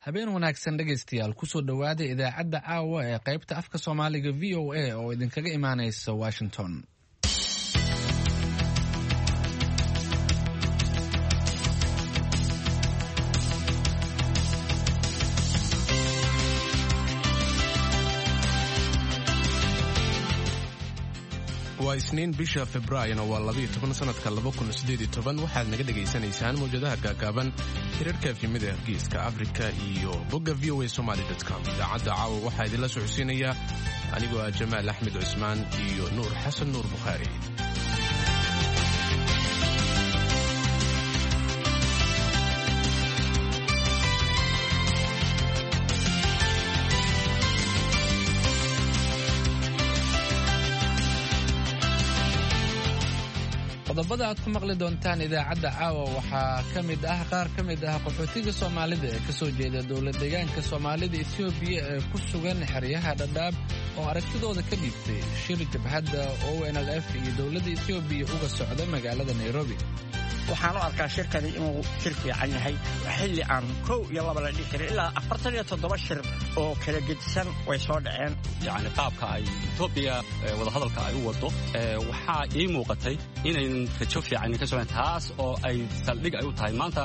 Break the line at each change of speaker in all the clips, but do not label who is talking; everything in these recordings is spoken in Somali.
Habeen wanaagsan dhegaystayaal, kusoo dhowaada idaacadda caawa ee qaybta afka Soomaaliga VOA oo idinkaga imaanaysa Washington.
Waa Isniin, bisha Februaarina waa 12, sanadka 2018. Waxaad naga dhegaysanaysaan mawjadaha gaagaaban, hirarka efemida Geeska Afrika iyo bogga voasomali.com. Idaacadda caawa waxaa idinla socodsiinaya anigoo ah Jamaal Axmed Cusmaan iyo Nuur Xasan Nuur Bukhaari.
Qodobada aad ku maqli doontaan idaacadda caawa waxaa ka mid ah qaar ka mid ah qaxootiga Soomaalida ee kasoo jeeda dowlad deegaanka Soomaalida Etoobiya ee ku sugan xeryaha Dhadhaab oo aragtidooda ka dhiibtay shir jabhadda ONLF iyo dowladda Etoobiya uga socda magaalada Nairobi.
Waxaan u arkaa shirkani inuu shir fiican yahay, xilli aan kow iyo laba la dhihi karin ilaa 47 shir oo kala gedisan way soo dhaceen.
Yacni qaabka ay Etoobiya wadahadalka ay u waddo waxaa ii muuqatay inaynan rajo fiican ka socon, taas oo ay saldhig ay u tahay maanta.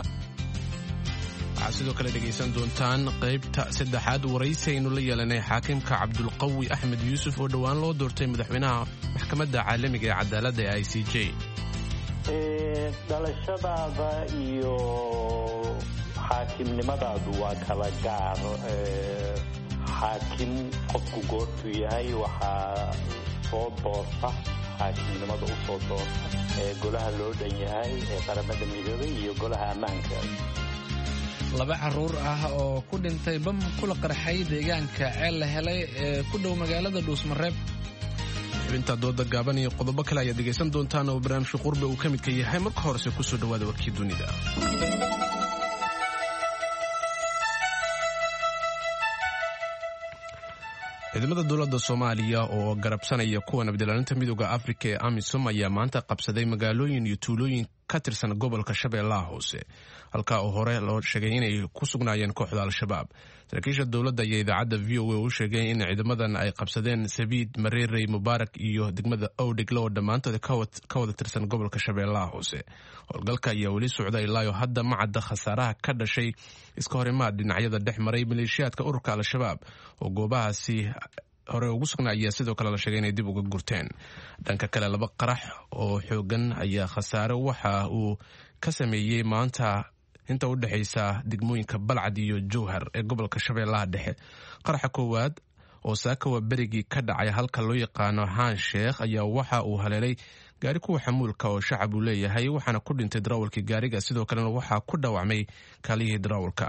Waxaad sidoo kale dhegaysan doontaan qaybta saddexaad waraysi aynu la yeelanay xaakimka Cabdulqawi Axmed Yuusuf oo dhowaan loo doortay madaxweynaha Maxkamadda Caalamiga ee Cadaaladda ee ICJ.
Dhalashadaada iyo xaakimnimadaadu waa kala gaar. Xaakim qofku goortuu yahay waxaa soo doorta, xaakimnimada u soo doorta ee golaha loo dhan yahay ee Qaramada Midoobay iyo Golaha Ammaanka.
Laba caruur ah oo ku dhintay bam kula qarxay deegaanka Ceel la Helay ee ku dhow magaalada Dhuusmareeb.
Xubinta dooda gaaban iyo qodobo kale ayaad dhegaysan doontaan oo barnaamijka Qurbe uu ka midka yahay. Marka horese kusoo dhawaada warkii dunida. Ciidamada dowladda Soomaaliya oo garabsanaya kuwa nabadilaalinta Midooda Afrika ee AMISOM ayaa maanta qabsaday magaalooyin iyo tuulooyin ka tirsan gobolka Shabeellaha Hoose, halkaa oo hore loo sheegay inay ku sugnaayeen kooxda Al-Shabaab. Saraakiisha dowladda ayaa idaacadda VOA u sheegay in ciidamadan ay qabsadeen Sabiid, Mareerey, Mubaarak iyo degmada Owdhiglo oo dhammaantood ka wada tirsan gobolka Shabeellaha Hoose. Howlgalka ayaa weli socda. Ilaayo hadda ma cadda khasaaraha ka dhashay iska horimaad dhinacyada dhex maray. Maleeshiyaadka ururka Al-Shabaab oo goobahaasi hore ugu sugnaa ayaa sidoo kale la sheegay inay dib uga gurteen. Dhanka kale, laba qarax oo xoogan ayaa khasaare waxa uu ka sameeyey maanta inta u dhexaysa degmooyinka Balcad iyo Jowhar ee gobolka Shabeellaha Dhexe. Qaraxa koowaad oo saakawa berigii ka dhacay halka loo yaqaano Haan Sheekh ayaa waxa uu haleelay gaari kuwa xamuulka oo shacab uu leeyahay, waxaana ku dhintay darawalkii gaariga, sidoo kalena waxaa ku dhaawacmay kaalihii darawalka.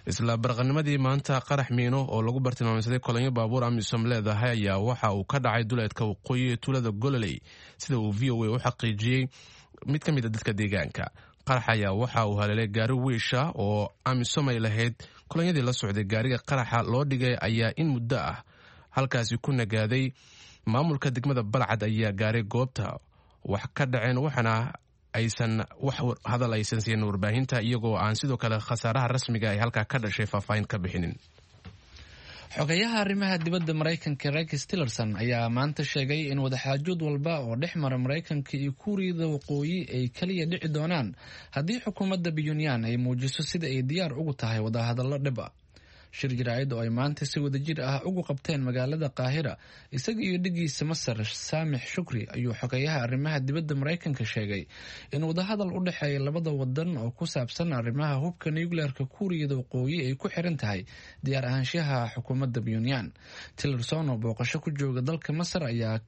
Isla barqanimadii maanta, qarax miino oo lagu bartilmaamsaday kolonyo baabuur AMISOM leedahay ayaa waxa uu ka dhacay duleedka waqooyi ee tuulada Gololey, sida uu VOA u xaqiijiyey mid ka mid a dadka deegaanka. Qarax ayaa waxa uu haleelay gaari wiisha oo AMISOM ay lahayd. Kolonyadii la socday gaariga qaraxa loo dhigay ayaa in muddo ah halkaasi ku nagaaday. Maamulka degmada Balcad ayaa gaaray goobta wax ka dhaceen, waxaana aysan wax hadal aysan siin warbaahinta, iyagoo aan sidoo kale khasaaraha rasmiga ay halkaa ka dhashay faahfaahin ka bixinin.
Xogayaha arrimaha dibadda Maraykanka Rex Tillerson ayaa maanta sheegay in wadaxaajood walba oo dhex mara Maraykanka iyo Kuuriyada Waqooyi ay kaliya dhici doonaan haddii xukuumadda Pyongyang ay muujiso sida ay diyaar ugu tahay wadahadallo dhib ah. Shir jaraa'id oo ay maanta si wadajir ah ugu qabteen magaalada Qaahira isaga iyo dhigiisa Masar Saamix Shukri ayuu xogeyaha arrimaha dibadda Maraykanka sheegay in wadahadal u dhexeeya labada wadan oo ku saabsan arrimaha hubka nuclearka Kuuriyada Waqooyi ay ku xiran tahay diyaar ahaanshaha xukuumadda Pyongyang. Tillerson oo booqasho ku jooga dalka Masar ayaa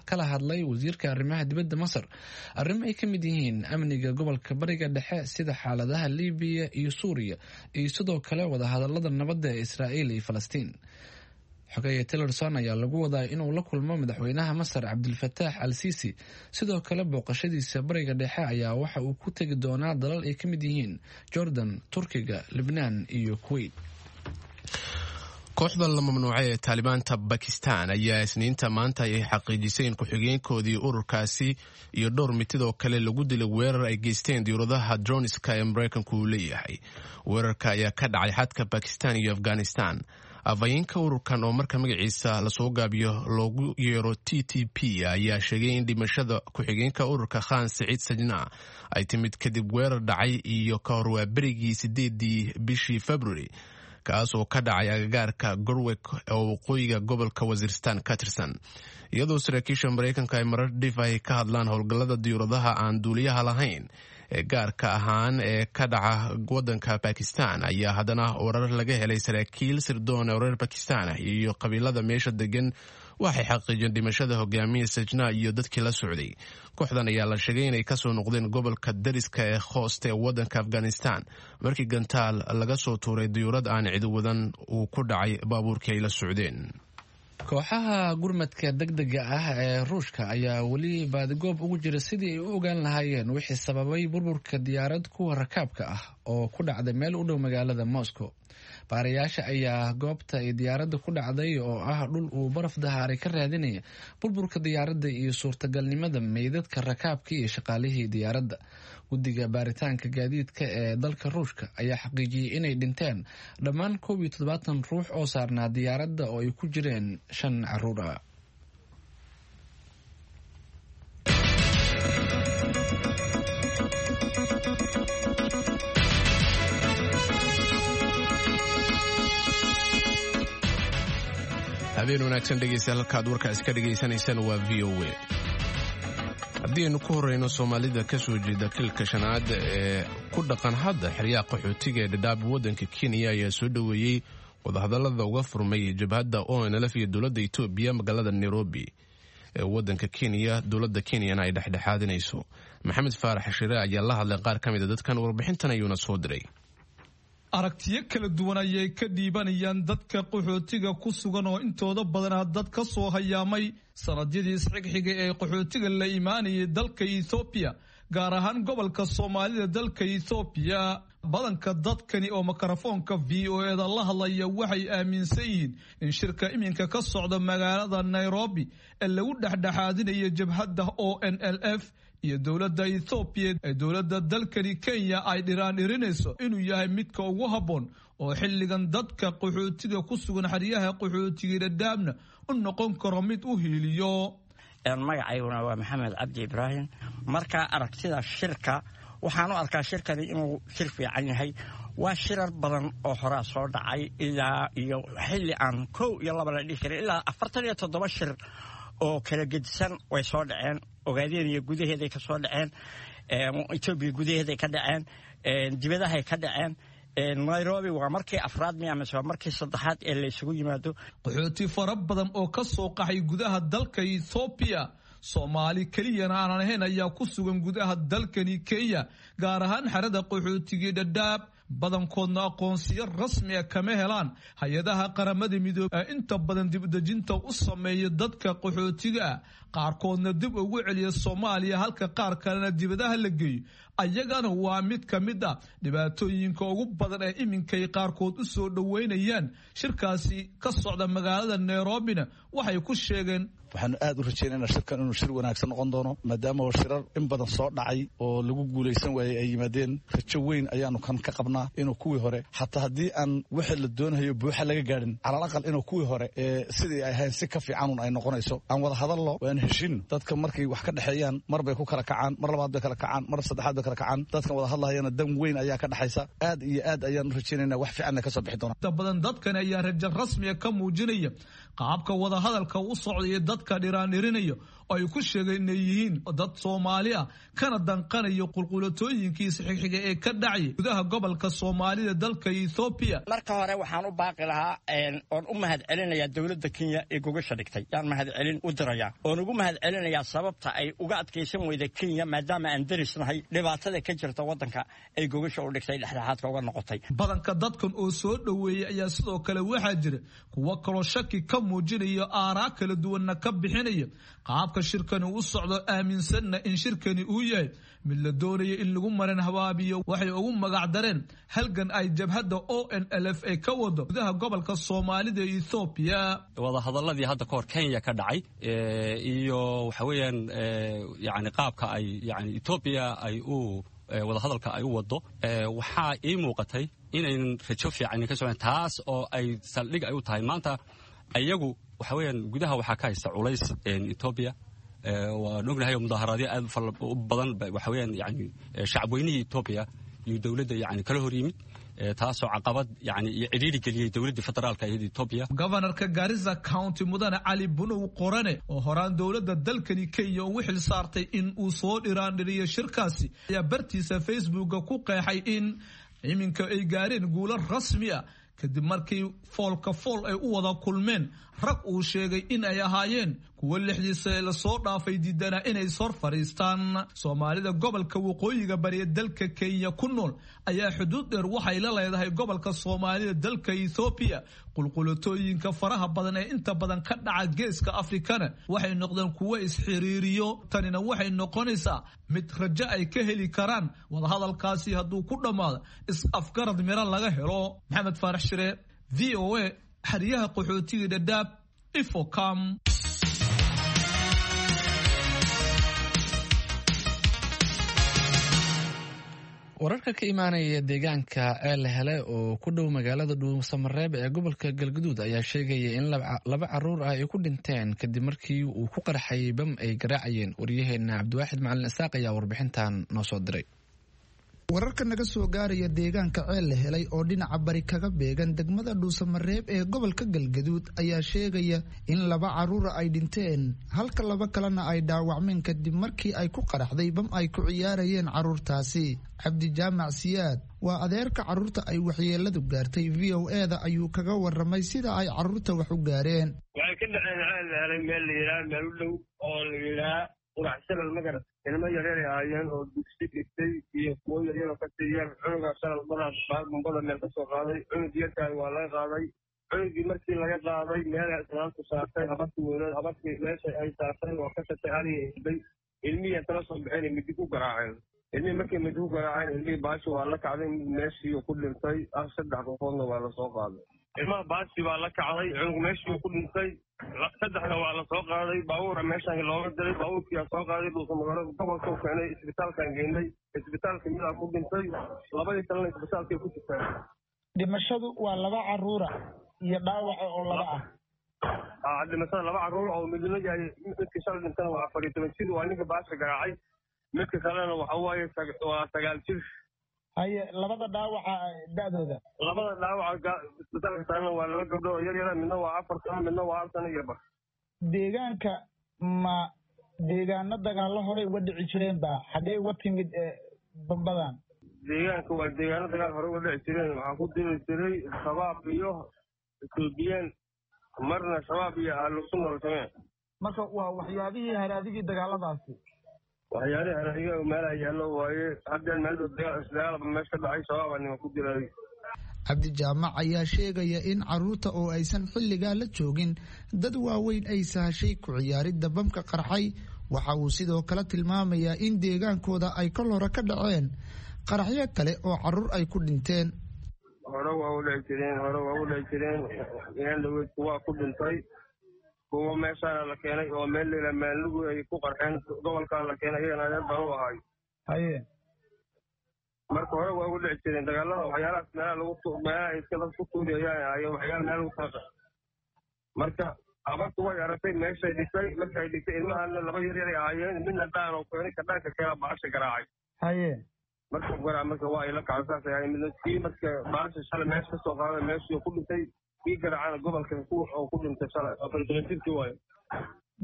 kala hadlay wasiirka arrimaha dibadda Masar arrimo ay ka mid yihiin amniga gobolka Bariga Dhexe, sida xaaladaha Libiya iyo Suuriya, iyo sidoo kale wadahadalada nabadda ee Israa'iil iyo Falastiin. Xogeeye Tillerson ayaa lagu wadaa inuu la kulmo madaxweynaha Masar Cabdilfataax Al Siisi. Sidoo kale booqashadiisa Bariga Dhexe ayaa waxa uu ku tegi doonaa dalal ay ka mid yihiin Jordan, Turkiga, Libnaan iyo Kuwait.
Kooxda la mamnuucay ee Taalibaanta Bakistan ayaa Isniinta maanta ay xaqiijisay in ku-xigeenkoodii ururkaasi iyo dhowr mitidoo kale lagu dilay weerar ay geysteen diyauradaha droniska ee Maraykanku uu leeyahay. Weerarka ayaa ka dhacay xadka Bakistan iyo Afghanistan. Afhayeenka ururkan oo marka magaciisa lasoo gaabiyo loogu yeero TTP ayaa sheegay in dhimashada ku-xigeenka ururka Khan Siciid Sajna ay timid kadib weerar dhacay iyo ka hor waaberigii 8-dii bishii February, kaas oo ka dhacay agagaarka Gorwek oo waqooyiga gobolka Wasiirstan ka tirsan. Iyadoo saraakiisha Maraykanka ay marar dhif ay ka hadlaan howlgallada diyuuradaha aan duuliyaha lahayn ee gaarka ahaan ee ka dhaca wadanka Bakistan, ayaa haddana warar laga helay saraakiil sirdoon ee reer Bakistan iyo qabiilada meesha degan waxay xaqiijiyeen dhimashada hogaamiya Sajna iyo dadkii la socday. Kooxdan ayaa la sheegay inay kasoo noqdeen gobolka dariska ee Khoost ee wadanka Afghanistan markii gantaal laga soo tuuray diyuurad aan cidi wadan uu ku dhacay baabuurkii ay la socdeen.
Kooxaha gurmadka degdega ah ee Ruushka ayaa weli baadigoob ugu jira sidii ay u ogaan lahaayeen wixii sababay burburka diyaarad kuwa rakaabka ah oo ku dhacday meel u dhow magaalada Moscow. Baarayaasha ayaa goobta ay diyaaradda ku dhacday oo ah dhul uu baraf dahaaray ka raadinaya burburka diyaaradda iyo suurtagalnimada meydadka rakaabka iyo shaqaalihii diyaaradda. Guddiga baaritaanka gaadiidka ee dalka Ruushka ayaa xaqiijiyey inay dhinteen dhammaan 71 ruux oo saarnaa diyaaradda oo ay ku jireen 5 caruur ah.
Habeen wanaagsan dhegeystayaal, halkaad warkaas ka dhegaysanaysaan waa VOA. Haddii aynu ku horeyno, Soomaalida ka soo jeeda kilka shanaad ee ku dhaqan hadda xeryaha qaxootiga ee Dhadhaab waddanka Kenya ayaa soo dhoweeyey wadahadallada uga furmay jabhadda ONLF iyo dowladda Etoobiya magaalada Nairobi ee waddanka Kenya, dowladda Kenyana ay dhexdhexaadinayso. Maxamed Faarax Shire ayaa la hadlay qaar ka mid a dadkan, warbixintan ayuuna soo diray.
Aragtiyo kala duwan ayay ka dhiibanayaan dadka qaxootiga ku sugan oo intooda badanaa dad ka soo hayaamay sanadyadii isxigxiga ee qaxootiga la imaanayay dalka Ethoobiya, gaar ahaan gobolka Soomaalida dalka Ethoobiya. Badanka dadkani oo mikrofoonka VOA-da la hadlaya waxay aaminsan yihiin in shirka iminka ka socda magaalada Nairobi ee lagu dhexdhexaadinayo jabhadda ONLF iyo dowladda Ethoobiya ee dowladda dalkani Kenya ay dhiraandhirinayso inuu yahay midka ugu habboon oo xilligan dadka qaxootiga ku sugan xeryaha qaxootiga Dhadhaabna u noqon karo mid u hiiliyo.
Magacayguna waa Maxamed Cabdi Ibraahim. Marka aragtida shirka, waxaan u arkaa shirkani inuu shir fiican yahay. Waa shirar badan oo horaa soo dhacay ilaa iyo xilli aan kow iyo laba la dhihi karin ilaa 47 shir oo kala gedisan way soo dhaceen. Ogaadeen gudaheeday ka soo dhaceen, Etoobiya gudaheeday ka dhaceen, dibadahay ka dhaceen. Nairobi waa markii afraad miya mise waa markii saddexaad ee la isugu yimaado.
Qaxooti fara badan oo ka soo qaxay gudaha dalka Ethoobiya, Soomaali keliyana aanan ahayn, ayaa ku sugan gudaha dalkani Kenya, gaar ahaan xerada qaxootigii Dhadhaab. Badankoodna aqoonsiyo rasmi ah kama helaan hay-adaha Qaramada Midoobey ee inta badan dibdejinta u sameeya dadka qaxootiga ah, qaarkoodna dib ugu celiya Soomaaliya, halka qaar kalena dibadaha la geeyo. Ayagana waa mid ka mid ah dhibaatooyinka ugu badan ee iminkay qaarkood u soo dhoweynayaan shirkaasi ka socda magaalada Nairobina. Waxay ku sheegeen:
Waxaanu aad u rajaynayna shirkan inuu shir wanaagsan noqon doono, maadaama shirar in badan soo dhacay oo lagu guulaysan waayey ay yimaadeen. Rajo weyn ayaanu kan ka qabnaa inuu kuwii hore, xataa haddii aan wixii la doonayo buuxa laga gaadhin, calal aqal inuu kuwii hore ee sidii ay ahayn si ka fiicanun ay noqonayso. Aan wada hadallo, waan heshin. Dadka markay wax ka dhexeeyaan mar bay ku kala kacaan, mar labaad bay kala kacaan, mar saddexaad bay kala kacaan. Dadkan wada hadlahayana dan weyn ayaa ka dhexaysa. Aad iyo aad ayaan u rajaynayna wax fiicanna ka soo bixi doona.
Inta badan dadkani ayaa rajo rasmiya ka muujinaya qaabka wadahadalka u socdaya dadka dhiraandhirinaya oo ay ku sheegeen inay yihiin dad Soomaali ah kana danqanayo qulqulatooyinkiisa xigxiga ee ka dhacaya gudaha gobolka Soomaalida dalka Ethoobiya.
Marka hore waxaan u baaqi lahaa oon u mahad celinayaa dowladda Kenya ee gogasha dhigtay. Yaan mahad celin u dirayaa oon ugu mahad celinayaa sababta ay uga adkaysan weyda Kenya, maadaama aan derisnahay, dhibaatada ka jirta waddanka ay gogasha u dhigtay, dhexdhexaadka uga noqotay.
Badanka dadkan oo soo dhoweeyey ayaa sidoo kale waxaa jira kuwo kaloo shaki ka muujinaya, aaraa kala duwanna ka bixinaya qaabka Qaabka shirkani u socdo, aaminsanna in shirkani uu yahay mid la doonaya in lagu marin habaabiyo waxay ugu magac dareen halgan ay jabhadda ONLF ay ka wado gudaha gobolka Soomaalida ee Ethoobiya.
Wadahadaladii hadda kahor Kenya ka dhacay iyo waxa weeyaan yani qaabka ay yani Etoobiya ay u wadahadalka ay u wado, waxaa ii muuqatay inaynan rajo fiican ka socon, taas oo ay saldhig ay u tahay maanta iyagu waxa weeyaan gudaha waxaa ka haysta culays Etoobiya. Waan ognahay oo mudaaharaadyo aad u badan waxa weeyaan yani shacabweynihii Etoobiya iyo dowladda yani kala hor yimid, taasoo caqabad yani iyo cidhiiri geliyey dowladda federaalka iyada Etoobiya.
Governorka Garissa County, Mudane Cali Bunow Qorane, oo horaan dowladda dalkani Kenya ugu xil saartay in uu soo dhiraandhiriyo shirkaasi, ayaa bartiisa Facebooka ku qeexay in iminka ay gaareen guulo rasmi ah kadib markii foolka fool ay u wada kulmeen rag uu sheegay in ay ahaayeen kuwo lixdiisa ee lasoo dhaafay diidanaa inay ishor fadhiistaan. Soomaalida gobolka waqooyiga bari ee dalka Kenya ku nool ayaa xuduud dheer waxay la leedahay gobolka Soomaalida dalka Ethoobiya. Qulqulatooyinka faraha badan ee inta badan ka dhaca geeska Afrikana waxay noqdeen kuwo isxiriiriyo. Tanina waxay noqonaysaa mid rajo ay ka heli karaan wadahadalkaasi hadduu ku dhammaado is-afgarad miro laga helo. Maxamed Faarax Shire, VOA, xeryaha qaxootiga Dhadhaab, Ifocam.
Wararka ka imaanaya deegaanka Ceel Hele oo ku dhow magaalada Dhuusamareeb ee gobolka Galgaduud ayaa sheegaya in laba caruur ah ay ku dhinteen kadib markii uu ku qarxay bam ay garaacayeen. Waryaheena Cabdiwaaxid Macalin Isaaq ayaa warbixintan noo soo diray.
Wararka naga soo gaaraya deegaanka Ceel La Helay oo dhinaca bari kaga beegan degmada Dhuusamareeb ee gobolka Galgaduud ayaa sheegaya in laba caruura ay dhinteen, halka laba kalena ay dhaawacmeen, kadib markii ay ku qaraxday bam ay ku ciyaarayeen caruurtaasi. Cabdijaamac Siyaad waa adeerka caruurta ay waxyeeladu gaartay. VOA-da ayuu kaga waramay sida ay caruurta wax u gaareen.
Waxay ka dhaceen Ceel La Helay meel la yidhaha, meel u dhow oo la yidhaha Qurax Shalal, magarat. Ilmo yaryar ay ahaayeen oo dugsi dhigtay iyo kuwo yaryar oo kasii yar. Cunugaa shalal badaa bombada meel ka soo qaaday. Cunug yarkaay waa laga qaaday. Cunugii markii laga qaaday, meela islaantu saartay, habartii weynood, habartii meesha ay saartay waa ka shatay, ariga isbay. Ilmihii tala soo baxeen, midi ku garaaceen ilmihii. Markii midi ku garaaceen ilmihii, baashi waa la kacday, meeshii ku dhintay. Saddex qofoodna waa lasoo qaaday. Ilmaha baashi baa la kacday, cunug meeshii ku dhintay, saddexna waa la soo qaaday. Baabuura meeshaan looga diray, baabuurkiyaa soo qaaday, Dhuusamagaro gobolkau keenay, isbitaalkaan geynay. Isbitaalka midaa ku dhintay, labadii kalena isbitaalkay ku jirtaan.
Dhimashadu waa laba caruura iyo dhaawaca oo laba
ah. Dhimashada laba caruur oo midna yahay, midka shalay dhintana waa 14 jir, waa ninka baasha garaacay. Midka kalena waxa waaye waa 9 jir.
Haye, labada dhaawaca da'dooda?
Labada dhaawaca isbitaalka saaran waa laba gabdho oo yar yara, midna waa 4 sano, midna waa 1 sano iyo bar.
Deegaanka ma deegaano dagaallo horey uga dhici jireen ba? Xaggee uga timid bambadan?
Deegaanka waa deegaano dagaal horey uga dhici jireen. Waxaa ku diri jiray Shabaab iyo Etoobiyaan, marna Shabaab iyo Ahlu Sunna walsamee.
Marka waa waxyaabihii haraadigii dagaaladaasi?
Waxyaalihii haraadiga meelaha yaallo waaye. Haddeen meel dagaalba meesha ka dhacay, Shabaabaa nima ku dilay.
Cabdijaamac ayaa sheegaya in caruurta oo aysan xilligaa la joogin dad waaweyn ay sahashay ku ciyaaridda bamka qarxay. Waxa uu sidoo kale tilmaamayaa in deegaankooda ay kol hore ka dhaceen qaraxyo kale oo caruur ay ku dhinteen.
Hore waa u dhici jireen, hore waa u dhici jireen. Dhaweyd kuwaa ku dhintay, kuwa meeshaana la keenay oo meel layla maalugu ay ku qarxeen, gobolkaa la keenay, iyagana adeer baan u ahay.
Haye.
Marka hore waa ugu dhici jireen dagaalada waxyaalahaas, meelaha lagu meelaha iska dad ku tuurayaan ayo waxyaala meel lagu talaqa. Marka abartu way aragtay, meeshay dhigtay. Markay dhigtay ilmahana laba yar yaray ahaayeen, midna dhaan oo keenay, ka dhaanka keena baasha garaacay.
Haye.
Marka garaac, marka waa ay la kacday, saas ay ahayd. Midna kii marka baasha shalay meesha kasoo qaaday meeshii ku dhintay, kii garaacana gobolka oo ku dhintay shalay, 14 jirkii waayo.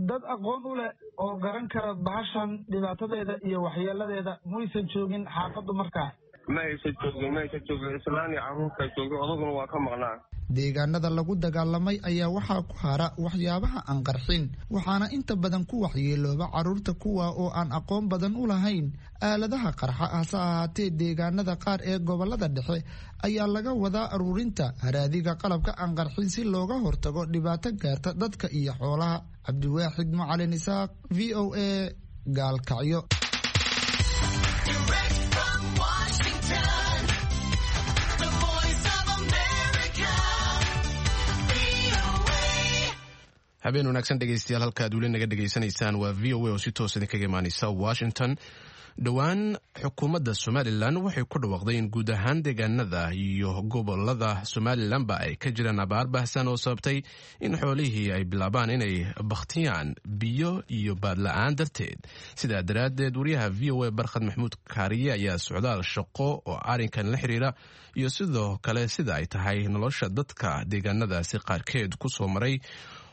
Dad aqoon u leh oo garan kara bahashan dhibaatadeeda iyo waxyeeladeeda muysan joogin xaafaddu markaa?
Ma aysan joogin, ma aysan joogin. Islaan iyo carruurtaa joogay, odaguna waa ka maqnaa.
Deegaanada lagu dagaalamay ayaa waxaa ku hara waxyaabaha aan qarxin, waxaana inta badan ku waxyeelooba caruurta, kuwa oo aan aqoon badan u lahayn aaladaha qarxa. Hase ahaatee, deegaanada qaar ee gobolada dhexe ayaa laga wadaa aruurinta haraadiga qalabka aan qarxin si looga hortago dhibaato gaarta dadka iyo xoolaha. Cabdiwaaxid Macalin Isaaq, v o a, Gaalkacyo.
Habeen wanaagsan dhegeystayaal, halkaad weli naga dhegeysanaysaan waa v o a oo si toos idinkaga imaaneysa Washington. Dhowaan xukuumadda Somalilan waxay ku dhawaaqday in guud ahaan deegaanada iyo gobolada Somalilanba ay ka jiraan abaar baahsan oo sababtay in xoolihii ay bilaabaan inay bakhtiyaan biyo iyo baadla-aan darteed. Sidaa daraaddeed, wariyaha v o a Barkhad Maxamuud Kaariye ayaa socdaal shaqo oo arrinkan la xiriira iyo sidoo kale sida ay tahay nolosha dadka deegaanadaasi qaarkeed ku soo maray.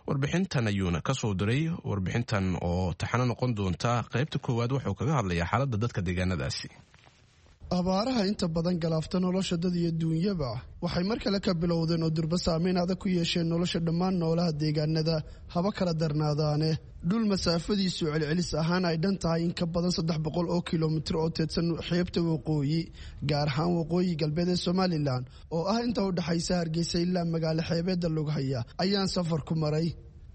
Warbixintan ayuuna ka soo diray. Warbixintan oo taxano noqon doonta qaybta koowaad wuxuu kaga hadlayaa xaaladda dadka deegaanadaasi.
Abaaraha inta badan galaafta nolosha dad iyo duunyaba waxay mar kale ka bilowdeen oo durba saameyn adag ku yeesheen nolosha dhammaan noolaha deegaanada, haba kala darnaadaane. Dhul masaafadiisu celcelis ahaan ay dhan tahay in ka badan 300 oo kilomitir oo teedsan xeebta waqooyi, gaar ahaan waqooyi galbeed ee Somalilan, oo ah inta u dhexaysa Hargeysa ilaa magaalo xeebeedda Lughaya, ayaan safar ku maray.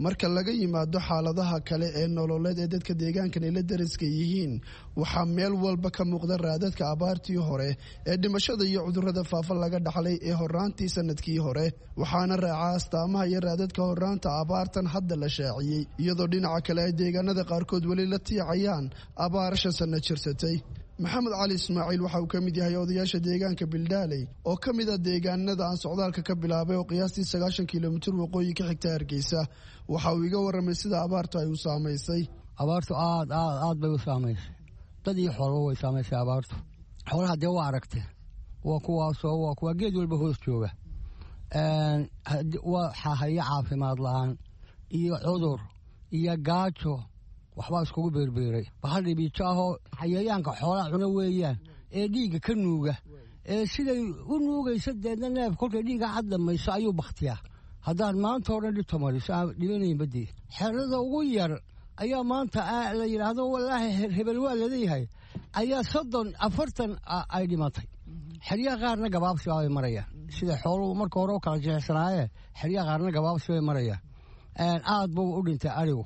Marka laga yimaado xaaladaha kale ee nololeed ee dadka deegaankan ay la dariska yihiin, waxaa meel walba ka muuqda raadadka abaartii hore ee dhimashada iyo cudurrada faafa laga dhaxlay ee horraantii sanadkii hore. Waxaana raaca astaamaha iyo raadadka horraanta abaartan hadda la shaaciyey, iyadoo dhinaca kale ay deegaanada qaarkood weli la tiicayaan abaar 5 sanno jirsatay. Maxamed Cali Ismaaciil waxa uu ka mid yahay odayaasha deegaanka Bildaaley oo ka mid a deegaanada aan socdaalka ka bilaabay oo qiyaastii 90 kilomitir waqooyi ka xigta Hargeysa. Waxa uu iga warramay sida abaartu ay u saamaysay.
Abaartu aad aad aad bay u saamaysay, dad iyo xoolba way saamaysay abaartu. Xoolaha dee waa aragtay, waa kuwaasoo waa kuwa geed walba hoos jooga, waa xahayo caafimaad la-aan iyo cudur iyo gaajo, waxbaa iskugu beerbeeray. Bahal dhibiijo ahoo xayayaanka xoolaha cuna weeyaan ee dhiigga ka nuuga, ee siday u nuugaysa deedna neef kolkay dhiigga cad dhamayso ayuu bakhtiyaa. Haddaan maanta o dhan dhibta mariso aan dhibanayn badii, xerada ugu yar ayaa maanta la yidhaahdo wallaahi hebel waa laleeyahay, ayaa 30 40 ay dhimatay. Xeryaha qaarna gabaabsi bay marayaan, sida xooluhu marka hore u kala jixisanaayee, xeryaha qaarna gabaabsi bay marayaan. Aad buu u dhintay arigu,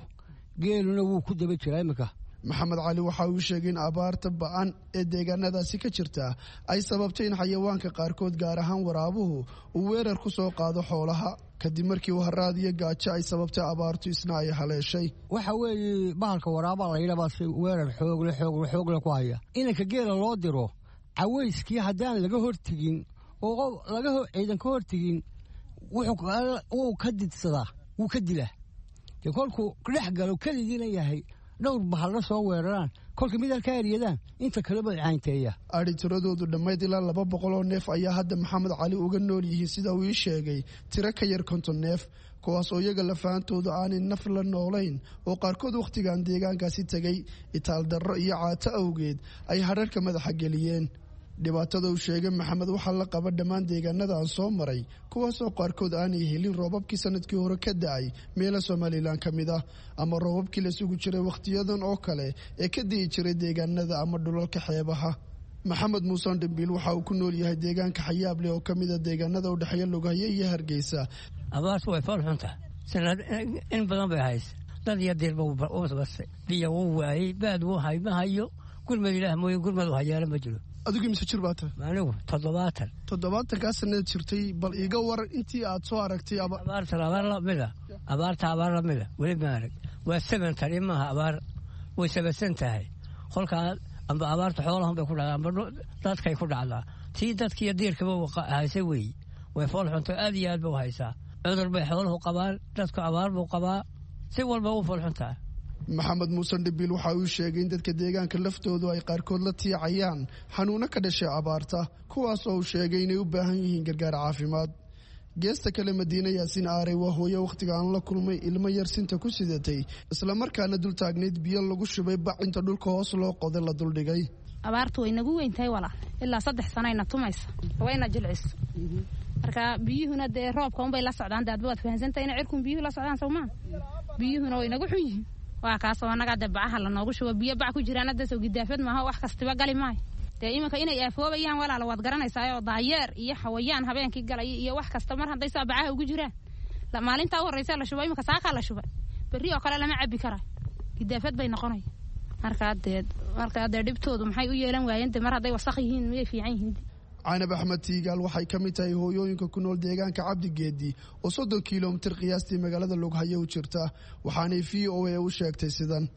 geeluna wuu ku daba jiraa iminka.
Maxamed Cali waxa uu sheegay in abaarta ba-an ee deegaanadaasi ka jirta ay sababtay in xayawaanka qaarkood, gaar ahaan waraabuhu, uu weerar ku soo qaado xoolaha kadib markii uu haraad iyo gaajo ay sababtay abaartu isna ay haleeshay.
Waxa weeye bahalka waraabaa layidhabaa si weerar xoogle xoogle xoogle ku haya. Inanka geela loo diro cawayskii haddaan laga hortegin oo laga ciidan ka hortegin, wuu ka didsadaa, wuu ka dilaa. Dee kolkuu dhex galo keligiina yahay, dhowr bahalla soo weeraraan, kolka mid halkaa eryadaan inta kaleba caynteeya.
Adhi tiradoodu dhammayd ilaa 200 oo neef ayaa hadda Maxamed Cali uga nool yihiin, sida uu ii sheegay, tiro ka yar 50 neef, kuwaas oo iyaga lafaantoodu aanay naf la noolayn oo qaarkood wakhtigan deegaankaasi tegay itaal darro iyo caato awgeed ay hadharka madaxa geliyeen. Dhibaatada uu sheegay Maxamed waxaa la qaba dhammaan deegaanada aan soo maray, kuwaasoo qaarkood aanay helin roobabkii sanadkii hore ka da-ay meelo Somalilan ka mid ah, ama roobabkii la sugi jiray wakhtiyadan oo kale ee ka di'i jiray deegaanada ama dhulalka xeebaha. Maxamed Muuse Dhimbiil waxa uu ku nool yahay deegaanka Xayaableh oo ka mid a deegaanada u dhexeeya Lughaye iyo Hargeysa.
Abaartu way fool xuntahay, sanad in badan bay haysa, dad iyo diirba bastay, biyo wuu waayey, baad wuu hay ma hayo, gurmad ilaah mooye gurmad u hayaala ma jiro.
Adigu mise jir baa tahay?
Anigu 70.
70-kaa sanada jirtay, bal iiga waran intii aad soo aragtay.
Abaartan abaar lamida, abaarta abaar lamida weli ma arag. Waa seven tani maaha abaar, way sabaysan tahay. Kolkaa amba abaarta xoolahan bay ku dhacdaa amba dadkay ku dhacdaa. Tii dadkiiyo diirkaba haysa weeye, way fool xunto, aad iyo aad ba u haysaa. Cudur bay xooluhu qabaan, dadku abaar buu qabaa, si walba u fool xuntaa.
Maxamed Muuse Dhibiil waxa uu sheegay in dadka deegaanka laftoodu ay qaarkood la tiicayaan xanuuno ka dhashay abaarta, kuwaas oo uu sheegay inay u baahan yihiin gargaar caafimaad. Geesta kale, Madiine Yaasiin Aarey waa hooyo wakhtiga aan la kulmay ilmo yar sinta ku sidatay, islamarkaana dul taagnayd biyo lagu shubay bac inta dhulka hoos loo qoday la duldhigay.
Abaartu way nagu weyn tahay walaal, ilaa 3 sanayna tumaysa, wayna jilciso. Marka biyuhuna dee roobka unbay la socdaan, dee adba waad fahansantahay ina cirkun biyuhu la socdaan sowmaa. Biyuhuna way nagu xun yihiin, waa kaasoo annagaa dee bacaha lanoogu shubo, biyo bac ku jiraan hadda soo gidaafad maaha, wax kastiba gali maayo. Dee iminka inay aafoobayaan walaala waad garanaysaa, oo daayeer iyo xawayaan habeenkii galaya iyo wax kasta mar hadday saa bacaha ugu jiraan. Maalintaa u horreysa la shubo, iminka saakaa la shubay, Berri oo kale lama cabi kara, gidaafad bay noqonaya. Markaa dee dhibtoodu maxay u yeelan waayeen? De mar hadday wasaq yihiin, miyay fiican yihiin?
Canab Axmed Tiigaal waxay ka mid tahay hooyooyinka ku nool deegaanka Cabdigeedi oo 30 kilomitir qiyaastii magaalada Lughaye u jirta, waxaanay VOA u sheegtay sidan.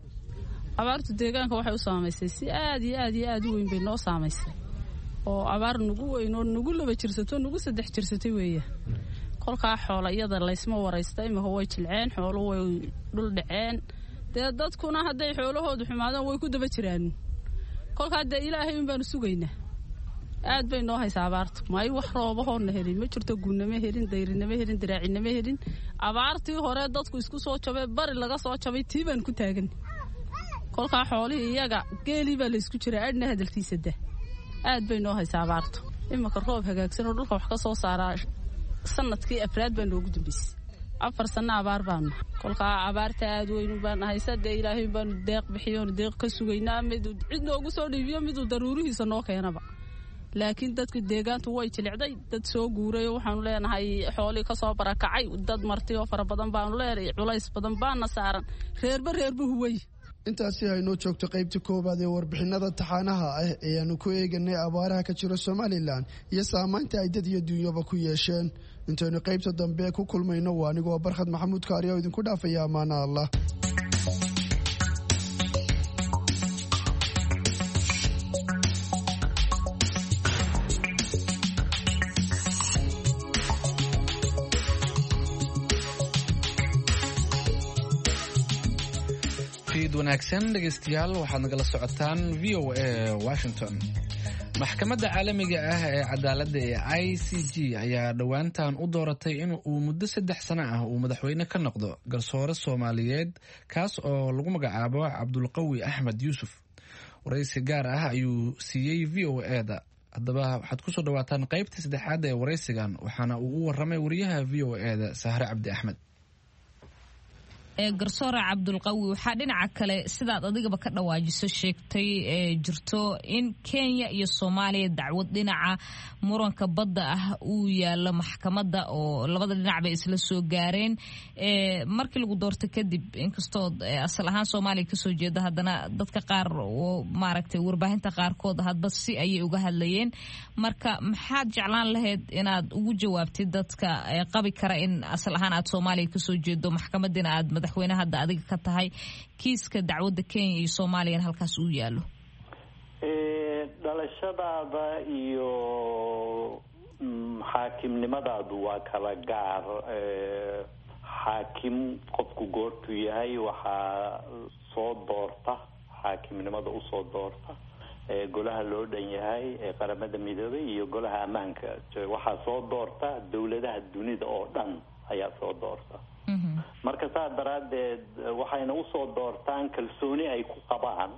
Abaartu deegaanka waxay u saamaysay si aad iyo aad iyo aad u weyn bay noo saamaysay, oo abaar nugu weyn oo nugu laba jirsato, nugu saddex jirsatay weeya. Kolkaa xoola iyada laysma waraysta, imika way jilceen, xoolu way dhul dhaceen. Dee dadkuna hadday xoolahoodu xumaadaan way ku daba jiraan. Kolkaa dee Ilaahay un baanu sugaynaa. Aad bay noo haysaa abaartu. May, wax roobahoonna helin ma jirto. Gunnama helin, dayrinama helin, diraacinama helin. Abaartii hore dadku isku soo jabay, bari laga soo jabay, tii baan ku taagan. Kolkaa xoolihii iyaga geelii baa laysku jiraa, adhna hadalkiisa dah. Aad bay noo haysaa abaartu. Iminka roob hagaagsan oo dhulka wax ka soo saaraa sanadkii afraad baa noogu dambeysay. 4 sanno abaar baanu. Kolkaa abaarta aad weynu baan haysa. Dee Ilaahay baanu deeq bixiyoonu deeq ka sugaynaa, mid cid noogu soo dhiibiyo, miduu daruurihiisa noo keenaba. Laakiin dadku deegaantu way jilicday. Dad soo guuray waxaanu leenahay, xoolii kasoo barakacay, dad marti oo fara badan baanu leenahay. Culays badan baana saaran, reerba reerba huway.
Intaasi haynoo joogto qaybta koowaad ee warbixinada taxaanaha ah ee aanu ku eeganay abaaraha ka jira Somalilan iyo saamaynta ay dad iyo dunyaba ku yeesheen. Intaynu qaybta dambe ku kulmayno, waa anigoo Barkhad Maxamuud Kaariya oo idinku dhaafaya amaana Allah.
Fiid wanaagsan dhegaystayaal, waxaad nagala socotaan VOA Washington. Maxkamadda caalamiga ah ee cadaaladda ee ICJ ayaa dhowaantan u dooratay in uu muddo 3 sano ah uu madaxweyne ka noqdo garsoore Soomaaliyeed, kaas oo lagu magacaabo Cabdulqawi Axmed Yuusuf. Waraysi gaar ah ayuu siiyey VOA-da. Haddaba waxaad kusoo dhawaataan qaybta saddexaad ee waraysigan, waxaana uu u waramay wariyaha VOA-da Sahre Cabdi Axmed.
Garsoore Cabdulqawi, waxaa dhinaca kale sidaad adigaba ka dhawaajiso sheegtay jirto in Kenya iyo Soomaaliya dacwad dhinaca muranka badda ah uu yaalo maxkamadda, oo labada dhinac bay isla soo gaareen. Markii lagu doorto kadib, inkastoo asal ahaan Soomaaliya kasoo jeeda, haddana dadka qaar oo maaragtay warbaahinta qaarkood hadba si ayay uga hadlayeen. Marka maxaad jeclaan lahayd inaad ugu jawaabtid dadka qabi kara in asal ahaan aad Soomaaliya kasoo jeedo, maxkamadiina aad madaxweyne hadda adiga ka tahay, kiiska dacwadda Kenya iyo Soomaaliyana halkaas uu yaalo?
Dhalashadaada iyo xaakimnimadaadu waa kala gaar. Xaakim qofku goortuu yahay waxaa soo doorta, xaakimnimada usoo doorta golaha loo dhan yahay ee Qaramada Midoobay iyo Golaha Ammaanka. Waxaa soo doorta dawladaha dunida oo dhan ayaa soo doorta. Marka saa daraaddeed waxayna usoo doortaan kalsooni ay ku qabaan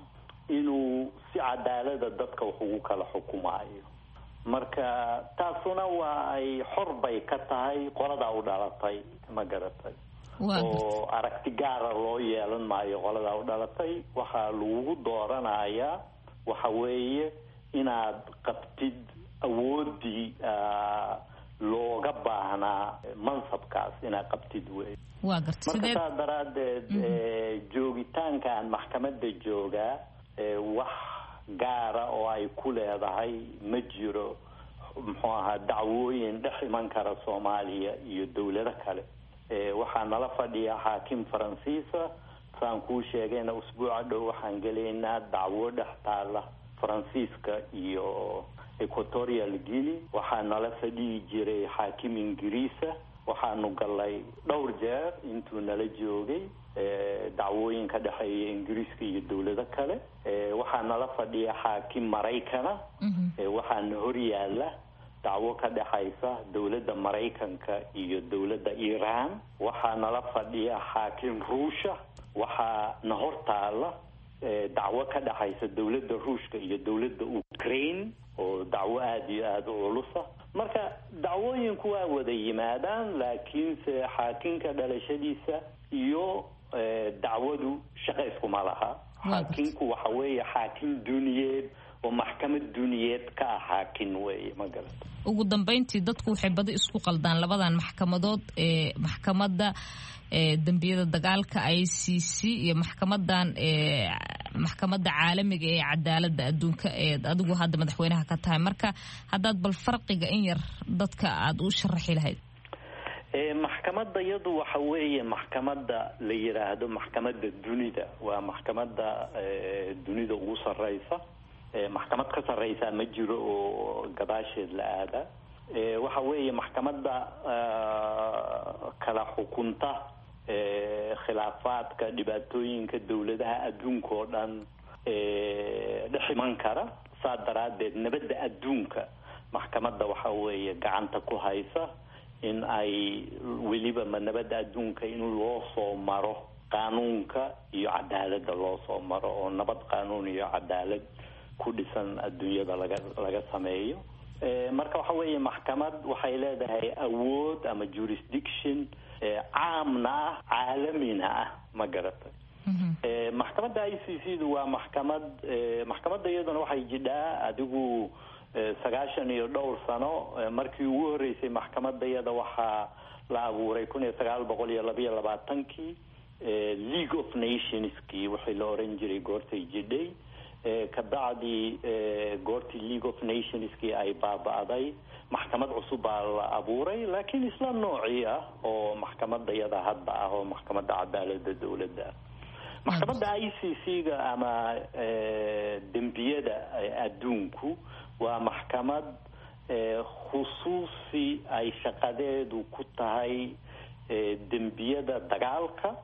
inuu si cadaalada dadka wax ugu kala xukumaayo. Marka taasuna waa ay xor bay ka tahay qoladaa u dhalatay, ma garatay? Oo aragti gaara loo yeelan maayo qoladaa u dhalatay. Waxaa lagugu dooranayaa waxa weeye inaad qabtid awooddii looga baahnaa mansabkaas, inaad qabtid wey. Marka saa daraaddeed joogitaanka aan maxkamadda joogaa wax gaara oo ay ku leedahay ma jiro, muxuu ahaa, dacwooyin dhex iman kara Soomaaliya iyo dawlado kale. Waxaa nala fadhiya xaakim Faransiisa. Saan kuu sheegayna, usbuuca dhow waxaan gelaynaa dacwo dhex taala Faransiiska iyo Equatorial Guinea. Waxaa nala fadhiyi jiray xaakim Ingiriisa. Waxaanu galay dhowr jeer intuu nala joogay dacwooyin ka dhexeeya Ingiriiska iyo dawlado kale. Waxaa nala fadhiya xaakim Maraykana. Waxaana hor yaala dacwo ka dhexaysa dawladda Maraykanka iyo dawladda Iiraan. Waxaa nala fadhiya xaakim Ruusha. Waxaa na hor taala dacwo ka dhexaysa dawladda Ruushka iyo dawladda Ukraine, oo dacwo aada iyo aada u culusa. Marka dacwooyinku waa wada yimaadaan, laakiinse xaakinka dhalashadiisa iyo dacwadu shaqo iskuma laha. Xaakinku waxa weeye xaakim duniyeed. Oo maxkamad duniyeed ka ah xaakin weeye, ma garata.
Ugu dambeyntii, dadku waxay badi isku qaldaan labadan maxkamadood ee maxkamadda dembiyada dagaalka ICC iyo maxkamadan maxkamadda caalamiga ee cadaaladda adduunka ee adigu hadda madaxweynaha ka tahay. Marka haddaad bal farqiga in yar dadka aada u sharaxi lahayd.
Maxkamadda iyadu waxa weeye maxkamadda la yiraahdo maxkamadda dunida. Waa maxkamadda dunida ugu sarreysa, maxkamad ka sarreysaa ma jiro oo gadaasheed la aada. Waxa weeye maxkamadda kala xukunta khilaafaadka, dhibaatooyinka dawladaha adduunka oo dhan dhex iman kara. Saa daraaddeed nabadda adduunka maxkamadda waxa weeye gacanta ku haysa, in ay weliba ma nabadda adduunka in loo soo maro qaanuunka iyo cadaaladda loo soo maro, oo nabad qaanuun iyo cadaalad ku dhisan adduunyada laga sameeyo. Marka waxa weeye maxkamad waxay leedahay awood ama jurisdiction caamna ah, caalamina ah, ma garatay. Maxkamadda ICC du waa maxkamad, maxkamadda iyaduna waxay jidhaa adigu 90 iyo dhowr sano. Markii ugu horreysay maxkamadda iyada waxaa la abuuray 1922-kii, League of Nationskii wixii la oran jiray goortay jidhay. Kabacdi goortii League of Nationskii ay baaba'day, maxkamad cusub baa la abuuray, laakiin isla noocii ah oo maxkamadda iyada hadda ah, oo maxkamadda cadaaladda dowladda ah. Maxkamadda ICC-ga ama dembiyada adduunku waa maxkamad khusuusi ay shaqadeedu ku tahay dembiyada dagaalka,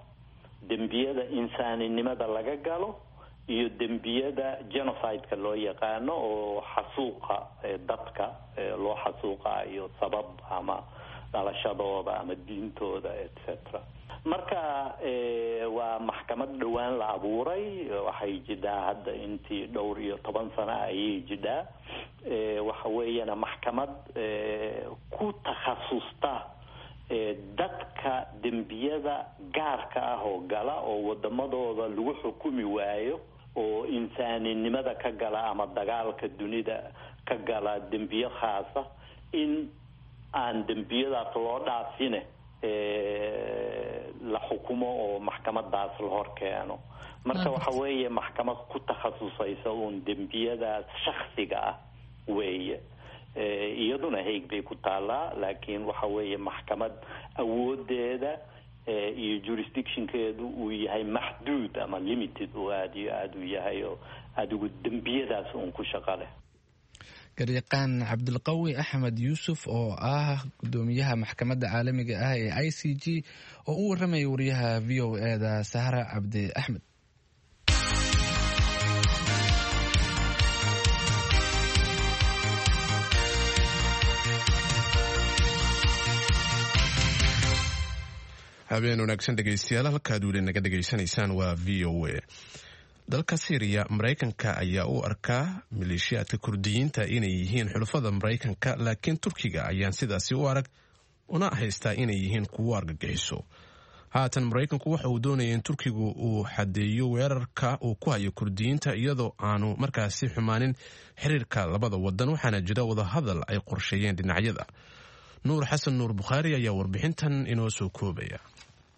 dembiyada insaaninimada laga galo iyo dembiyada genocide-ka loo yaqaano, oo xasuuqa dadka loo xasuuqaayo sabab ama dhalashadooda ama diintooda, etc. Marka waa maxkamad dhowaan la abuuray, waxay jidhaa hadda intii dhowr iyo toban sano ayay jidhaa. Waxa weeyana maxkamad ku takhasusta dadka dembiyada gaarka ah oo gala oo wadamadooda lagu xukumi waayo, oo insaaninimada ka gala ama dagaalka dunida ka gala dembiyo khaasa, in aan dembiyadaas loo dhaafine la xukumo oo maxkamadaas la hor keeno. Marka waxa weeye maxkamad ku takhasusaysa uun dembiyadaas shaksiga ah weeye. Iyaduna Hague bay ku taallaa, laakiin waxa weeye maxkamad awoodeeda iyo jurisdictionkeedu uu yahay maxduud ama limited, oo aada iyo aada u yahay oo adigu dembiyadaas uun ku shaqo leh.
Garyaqaan Cabdilqawi Axmed Yuusuf oo ah gudoomiyaha maxkamadda caalamiga ah ee ICG oo u waramaya wariyaha VOA da Sahra Cabdi Axmed.
Habeen wanaagsan dhegeystayaal, halkaad weli naga dhegaysanaysaan waa VOA. Dalka Syriya, Maraykanka ayaa u arkaa maleeshiyaadka Kurdiyiinta inay yihiin xulafada Maraykanka, laakiin Turkiga ayaan sidaasi u arag una haystaa inay yihiin kuwo argagixiso. Haatan Maraykanku waxa uu doonaya in Turkigu uu xadeeyo weerarka uu ku hayo Kurdiyiinta, iyadoo aanu markaasi xumaanin xiriirka labada wadan, waxaana jira wadahadal ay qorsheeyeen dhinacyada. Nuur Xasan Nuur Bukhaari ayaa warbixintan inoo soo koobaya.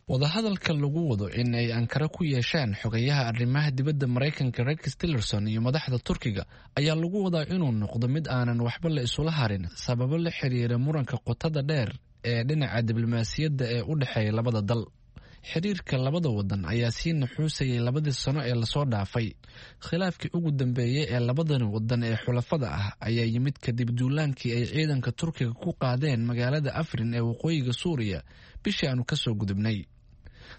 Wadahadalka lagu wado in ay Ankara ku yeeshaan xogayaha arrimaha dibadda Maraykanka Rex Tillerson iyo madaxda Turkiga ayaa lagu wadaa inuu noqdo mid aanan waxba la isula harin, sababo la xiriira muranka qotada dheer ee dhinaca diblomaasiyadda ee u dhexeeya labada dal. Xiriirka labada wadan ayaa sii naxuusayay labadii sano ee lasoo dhaafay. Khilaafkii ugu dambeeyey ee labadan wadan ee xulafada ah ayaa yimid kadib duulaankii ay ciidanka Turkiga ku qaadeen magaalada Afrin ee waqooyiga Suuriya bishii aanu kasoo gudubnay.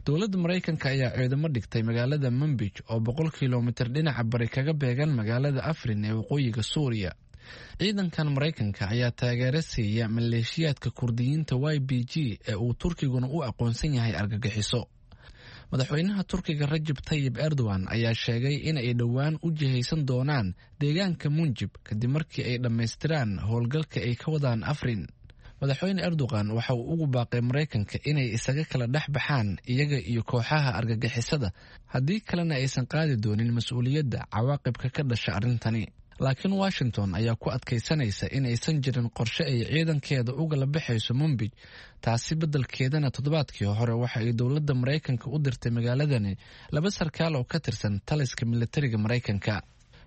Dowladda Maraykanka ayaa ciidamo dhigtay magaalada Manbij oo 100 kilomitir dhinaca bari kaga beegan magaalada Afrin ee waqooyiga Suuriya. Ciidankan Maraykanka ayaa taageero siiya maleeshiyaadka Kurdiyiinta YBG ee uu Turkiguna u aqoonsan yahay argagixiso. Madaxweynaha Turkiga Rajab Tayib Erdogan ayaa sheegay in ay dhowaan u jihaysan doonaan deegaanka Munjib kadib markii ay dhammaystiraan howlgalka ay ka wadaan Afrin. Madaxweyne Erdogan waxa uu ugu baaqay Maraykanka inay isaga kala dhex baxaan iyaga iyo kooxaha argagixisada, haddii kalena aysan qaadi doonin mas-uuliyadda cawaaqibka ka dhasha arrintani. Laakiin Washington ayaa ku adkaysanaysa in aysan jirin qorshe ay ciidankeeda ugala baxayso Mumbij. Taasi beddelkeedana toddobaadkii hore waxa ay dowladda Maraykanka u dirtay magaaladani laba sarkaal oo ka tirsan taliska militariga Maraykanka.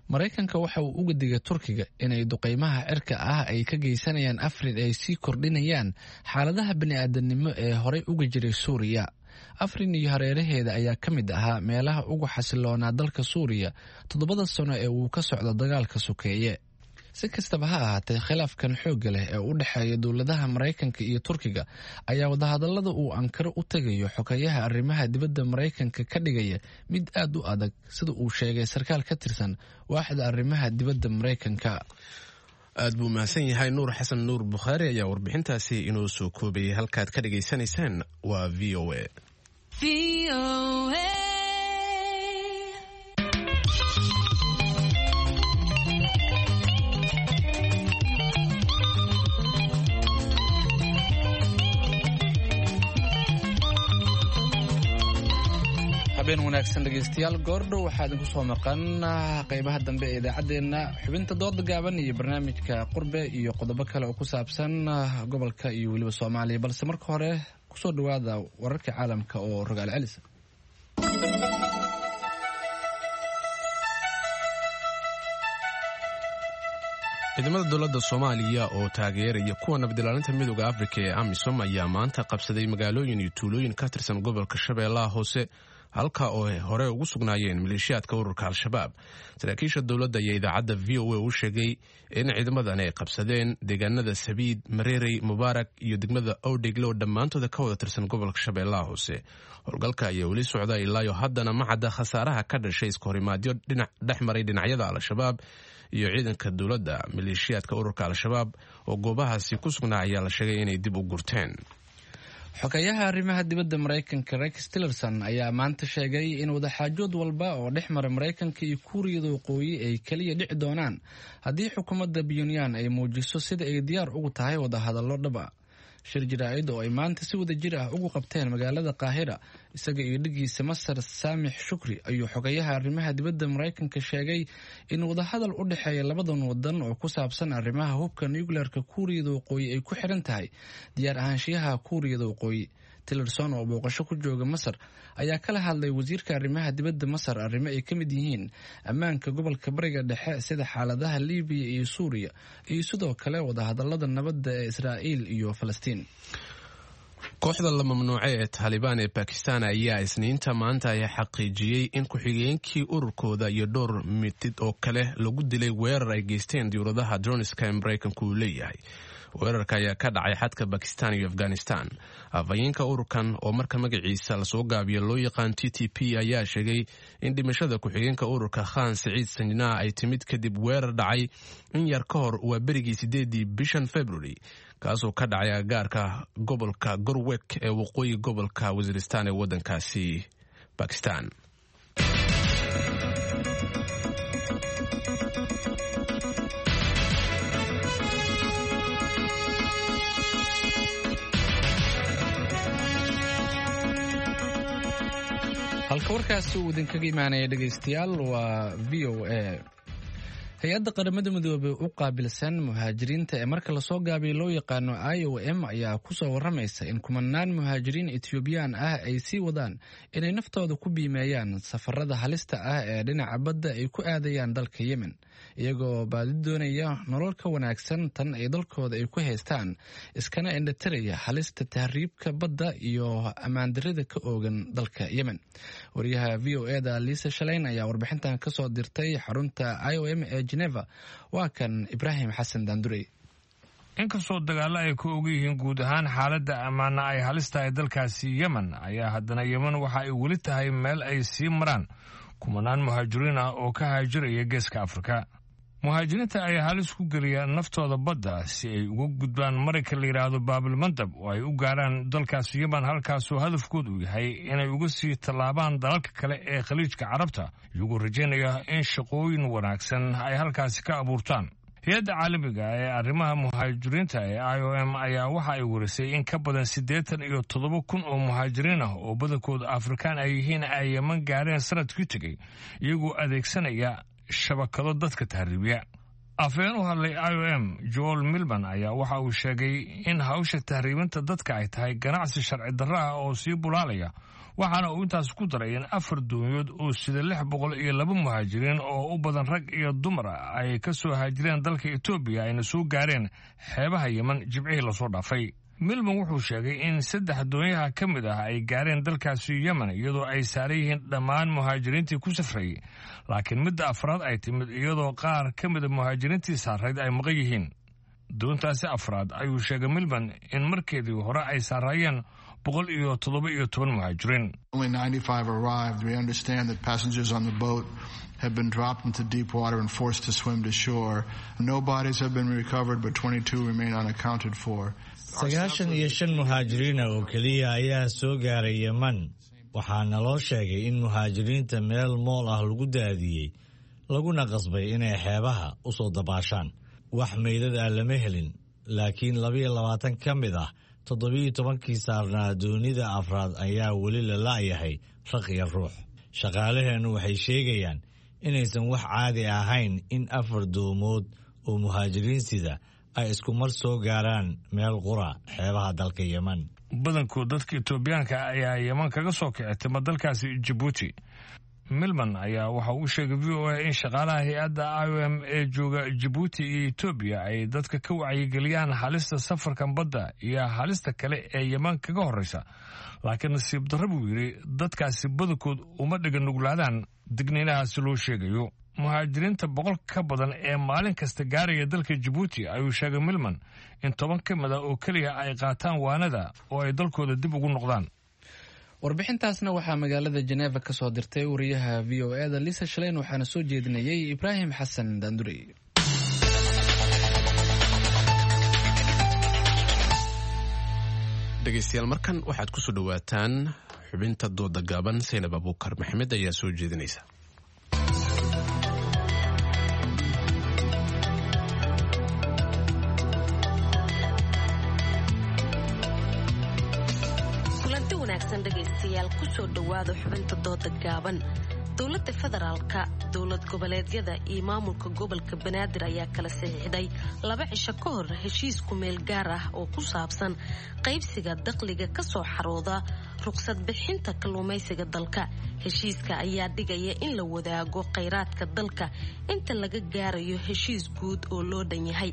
Maraykanka waxa uu uga digay Turkiga inay duqeymaha cirka ah ay ka geysanayaan Afrin ay sii kordhinayaan xaaladaha bini'aadanimo ee horey uga jiray Suuriya. Afrin iyo hareeraheeda ayaa ka mid ahaa meelaha ugu xasiloonaa dalka Suuriya 7da sano ee uu ka socdo dagaalka sokeeye. Si kastaba ha ahaatee, khilaafkan xoogga leh ee u dhexeeya dowladaha Maraykanka iyo Turkiga ayaa wadahadallada uu Ankaro u tegayo xogeyaha arrimaha dibadda Maraykanka ka dhigaya mid aad u adag, sida uu sheegay sarkaal ka tirsan waaxda arrimaha dibadda Maraykanka.
Aad buu mahadsan yahay Nuur Xasan Nuur Bukhaari ayaa warbixintaasi inoo soo koobayay. Halkaad ka dhagaysanaysaan waa VOA.
Habeen wanaagsan dhegeystayaal. Goordhow waxaa idinku soo maqan qeybaha dambe ee idaacaddeenna xubinta dooda gaaban iyo barnaamijka qurbe iyo qodobo kale oo ku saabsan gobolka iyo weliba Soomaaliya, balse marka hore kusoo dhawaada wararka caalamka oo rogaal celisa.
Ciidamada dowladda Soomaaliya oo taageeraya kuwa nabadilaalinta Midooda Afrika ee AMISOM ayaa maanta qabsaday magaalooyin iyo tuulooyin ka tirsan gobolka Shabeellaha Hoose, halka oo ay hore ugu sugnaayeen maleeshiyaadka ururka Al-Shabaab. Saraakiisha dowladda ayaa idaacadda VOA u sheegay in ciidamadan ay qabsadeen deegaanada Sabiid, Mareerey, Mubaarak iyo degmada Owdhegle oo dhammaantooda ka wada tirsan gobolka Shabeellaha Hoose. Howlgalka ayaa weli socda ilaayo haddana ma cadda khasaaraha ka dhashay iskahorimaadyo dhinac dhex maray dhinacyada Al-Shabaab iyo ciidanka dowladda. Maleeshiyaadka ururka Al-Shabaab oo goobahaasi ku sugnaa ayaa la sheegay inay dib u gurteen.
Xogeyaha arrimaha dibadda Maraykanka Rex Tillerson ayaa maanta sheegay in wadaxaajood walba oo dhex mara Maraykanka iyo Kuuriyada Waqooyi ay keliya dhici doonaan haddii xukuumadda Pyongyang ay muujiso sida ay diyaar ugu tahay wadahadallo dhab ah. Shir jaraa'id oo ay maanta si wada jir ah ugu qabteen magaalada Qaahira isaga iyo dhigiisa Masar Saamix Shukri ayuu xogeyaha arrimaha dibadda Maraykanka sheegay in wadahadal u dhexeeya labadan wadan oo ku saabsan arrimaha hubka nuclearka Kuuriyada Waqooyi ay ku xiran tahay diyaar ahaanshiyaha Kuuriyada Waqooyi. Tillerson oo booqasho ku jooga Masar ayaa kala hadlay wasiirka arrimaha dibadda Masar arrimo ay ka mid yihiin ammaanka gobolka Bariga Dhexe, sida xaaladaha Liibiya iyo Suuriya, iyo sidoo kale wadahadalada nabadda ee Israa'iil iyo Falastiin.
Kooxda la mamnuucay ee Taalibaan ee Bakistan ayaa Isniinta maanta ay xaqiijiyey in ku-xigeenkii ururkooda iyo dhowr mitid oo kale lagu dilay weerar ay geysteen diyuuradaha droniska ee Maraykanku uu leeyahay. Weerarka ayaa ka dhacay xadka Bakistan iyo Afghanistan. Afhayeenka ururkan oo marka magaciisa lasoo gaabiyo loo yaqaan TTP ayaa sheegay in dhimashada ku-xigeenka ururka Khan Siciid Sanjnaa ay timid kadib weerar dhacay in yar ka hor waa berigii 8dii bishan February, kaasoo ka dhacay agagaarka gobolka Gorwek ee waqooyi gobolka Wasiiristan ee waddankaasi Bakistan.
Halka warkaasi uu idinkaga imaanaya dhegaystayaal waa VOA. Hay-adda Qaramada Midoobey u qaabilsan muhaajiriinta ee marka lasoo gaabiyo loo yaqaano IOM ayaa kusoo waramaysa in kumanaan muhaajiriin Ethioobiyaan ah ay sii wadaan inay naftooda ku biimeeyaan safarada halista ah ee dhinaca badda ay ku aadayaan dalka Yemen, iyagoo baadi doonaya nolol ka wanaagsan tan ay dalkooda ay ku haystaan, iskana indhatiraya halista tahriibka badda iyo ammaandarida ka oogan dalka Yemen. Wariyaha VOA da Liisa Shaleyn ayaa warbixintan kasoo dirtay xarunta IOM ee Geneva. Waa kan Ibraahim Xasan Daandurey.
Inkastoo dagaallo ay ka og yihiin guud ahaan xaaladda ammaana ay halis tahay dalkaasi Yemen, ayaa haddana Yemen waxa ay weli tahay meel ay sii maraan kumanaan muhaajiriin ah oo ka haajiraya Geeska Afrika. Muhaajiriinta ayaa halis ku geliya naftooda badda si ay uga gudbaan marinka la yidhaahdo Baabilmandab oo ay u gaaraan dalkaasi Yemen, halkaasoo hadafkoodu uu yahay inay uga sii tallaabaan dalalka kale ee Khaliijka Carabta, iyagoo rajaynaya in shaqooyin wanaagsan ay halkaasi ka abuurtaan. Hay-adda caalamiga ee arrimaha muhaajiriinta ee IOM ayaa waxa ay warisay in ka badan 87,000 oo muhaajiriin ah oo badankooda Afrikaan ay yihiin ay Yeman gaareen sanadkii tegey, iyagoo adeegsanaya shabakado dadka tahriibiya. Afhayeen u hadlay IOM Joel Milman ayaa waxa uu sheegay in hawsha tahriibinta dadka ay tahay ganacsi sharci darro ah oo sii bulaalaya, waxaana uu intaas ku daray in 4 doonyood oo sida 602 muhaajiriin oo u badan rag iyo dumar ay ka soo haajireen dalka Etoobiya ayna soo gaareen xeebaha Yemen Jimcihii lasoo dhaafay. Milman wuxuu sheegay in 3 doonyaha ka mid ah ay gaareen dalkaasi Yemen iyadoo ay saaran yihiin dhammaan muhaajiriintii ku safrayay, laakiin midda afraad ay timid iyadoo qaar ka mida muhaajiriintii saarayd ay maqan yihiin. Doontaasi afraad ayuu sheegay Milman in markeedii hore ay saaraayeen 117 muhaajiriin.
Only 95 arrived. We understand that passengers on the boat have been dropped into deep water and forced to swim to shore. No bodies have been recovered, but 22 remain unaccounted for.
95 muhaajiriina oo keliya ayaa soo gaaray Yemen. Waxaana loo sheegay in muhaajiriinta meel mool ah lagu daadiyey, laguna qasbay inay xeebaha u soo dabaashaan. Wax meydad ah lama helin, laakiin 22 ka mid ah 17kii saarnaa doonida afraad ayaa weli la la'yahay raq iyo ruux. Shaqaalaheennu waxay sheegayaan inaysan wax caadi ahayn in 4 doomood oo muhaajiriin sida ay isku mar soo gaaraan meel qura xeebaha dalka Yemen.
Badankood dadka Etoobiyaanka ayaa Yemen kaga soo kici tima dalkaasi Jabuuti. Milman ayaa waxa uu sheegay VOA in shaqaalaha hay-adda IOM ee jooga Jabuuti iyo Etoobiya ay dadka ka wacyigeliyaan halista safarkan badda iyo halista kale ee Yemen kaga horreysa, laakiin nasiib darro buu yidhi dadkaasi badankood uma dhiga nuglaadaan digniinahaasi loo sheegayo. Muhaajiriinta 100 ka badan ee maalin kasta gaaraya dalka Jabuuti ayuu sheegay Milman in 10 ka mid a oo keliya ay qaataan waanada oo ay dalkooda dib ugu noqdaan.
Warbixintaasna waxaa magaalada Jeneva ka soo dirtay wariyaha VOA-da Lisa Shaleyn, waxaana soo jeedinayay Ibraahim Xasan Daandurey.
Dhegeystayaal, markan waxaad kusoo dhawaataan xubinta dooda gaaban. Saynab Abuukar Maxamed ayaa soo jeedinaysa.
Dhegaystayaal, kusoo dhowaada xubinta dooda gaaban. Dowladda federaalka, dowlad goboleedyada iyo maamulka gobolka Banaadir ayaa kala saxiixday 2 cisho ka hor heshiis kumeel gaar ah oo ku saabsan qaybsiga dakhliga kasoo xarooda ruqsad bixinta kalluumaysiga dalka. Heshiiska ayaa dhigaya in la wadaago khayraadka dalka inta laga gaarayo heshiis guud oo loo dhan yahay.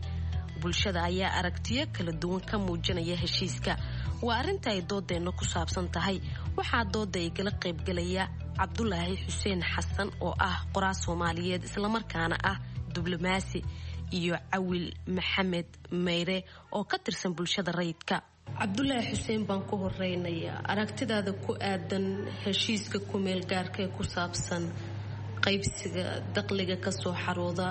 Bulshada ayaa aragtiyo kala duwan ka muujinaya heshiiska. Waa arrinta ay doodeenna ku saabsan tahay. Waxaa dooda igala qaybgalaya Cabdulaahi Xuseen Xasan oo ah qoraa Soomaaliyeed islamarkaana ah diblomaasi, iyo Cawil Maxamed Meyre oo ka tirsan bulshada rayidka. Cabdulaahi Xuseen baan ku horeynayaa, aragtidaada ku aadan heshiiska kumeel gaarka ee ku saabsan qaybsiga dakhliga kasoo xarooda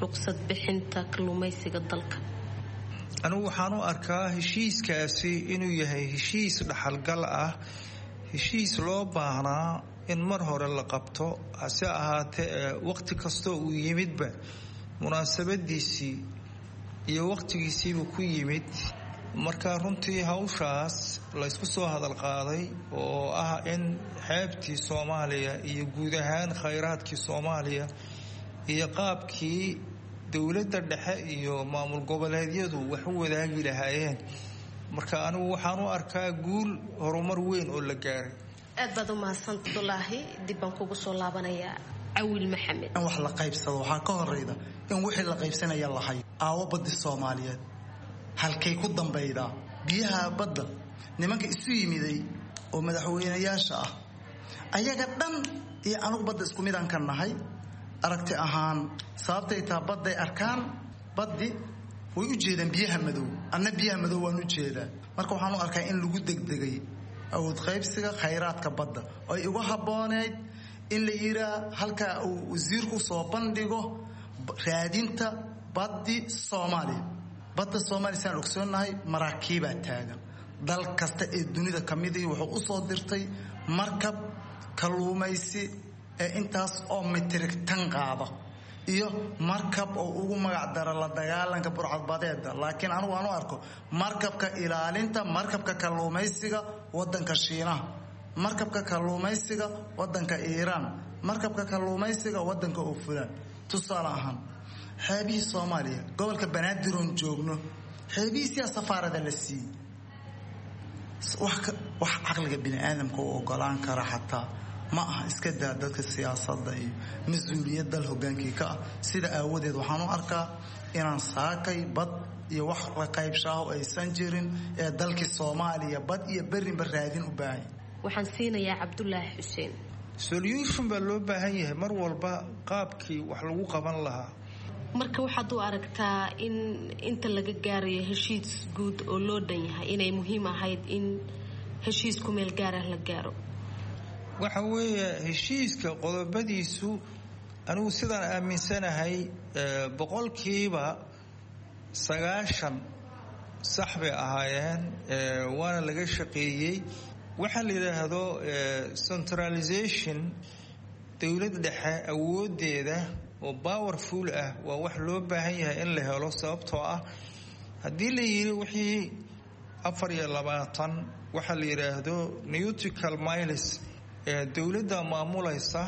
ruqsad bixinta kalluumaysiga dalka.
Anigu waxaan u arkaa heshiiskaasi inuu yahay heshiis dhaxalgal ah, heshiis loo baahnaa in mar hore la qabto, hase ahaatee waqti kastoo uu yimidba munaasabadiisii iyo waqtigiisiibuu ku yimid. Marka runtii hawshaas laysku soo hadal qaaday oo ah in xeebtii Soomaaliya iyo guud ahaan khayraadkii Soomaaliya iyo qaabkii dowladda dhexe iyo maamul goboleedyadu wax u wadaagi lahaayeen, marka anigu waxaan u arkaa guul horumar weyn oo la gaaray.
Aad baad u mahadsan Cabdulaahi, dib baan kugu soo laabanayaa. Cawil Maxamed,
in wax la qaybsado waxaa ka horeyda in wixii la qaybsanaya la hayo. Aawo baddi Soomaaliyeed halkay ku dambaydaa? Biyaha badda nimanka isu yimiday oo madaxweynayaasha ah ayaga dhan iyo anugu badda isku midaan ka nahay aragti ahaan. Sababtay taa badday arkaan, baddi way u jeedaan biyaha madow, anna biyaha madow waan u jeedaa. Marka waxaan u arkaa in lagu degdegay awood qaybsiga khayraadka badda ay uga habbooneyd in la yiraa halkaa uu wasiirku soo bandhigo raadinta baddi Soomaaliya. Badda Soomaaliya saan ogsoonnahay maraakiibaa taagan. Dal kasta ee dunida ka midii wuxuu u soo dirtay markab kalluumaysi ee intaas oo mitrig tan qaada iyo markab oo ugu magac dara la dagaalanka burcadbadeeda. Laakiin anigu aan u arko markabka ilaalinta markabka kalluumaysiga wadanka Shiinaha, markabka kalluumaysiga wadanka Iiraan, markabka kalluumaysiga wadanka oo fulaan. Tusaale ahaan, Xeebihii Soomaaliya, gobolka Banaadir oon joogno, xeebihiisiyaa safaarada la siiyey. Wax caqliga bini aadamka u ogolaan kara xataa ma aha. Iska daa dadka siyaasadda iyo mas-uuliyad dal hogaankii ka ah. Sida aawadeed waxaan u arkaa inaan saakay bad iyo wax la qaybshaaho aysan jirin ee dalkii Soomaaliya bad iyo berrinba raadin u baahan.
Waxaan siinayaa Cabdulaahi Xuseen.
Solution baa loo baahan yahay mar walba, qaabkii wax lagu qaban lahaa.
Marka waxaad u aragtaa in inta laga gaarayo heshiis guud oo loo dhan yahay inay muhiim ahayd in heshiis ku meel gaarah la gaaro?
Waxa weeye, heshiiska qodobadiisu, anigu sidaan aaminsanahay, 90% sax bay ahaayeen, waana laga shaqeeyey. Waxaa la yidhaahdo centralization, dowlad dhexe awoodeeda oo powerful ah, waa wax loo baahan yahay in la helo, sababtoo ah haddii la yidhi wixii 24, waxaa la yidhaahdo nautical miles, ee dowladda maamulaysa,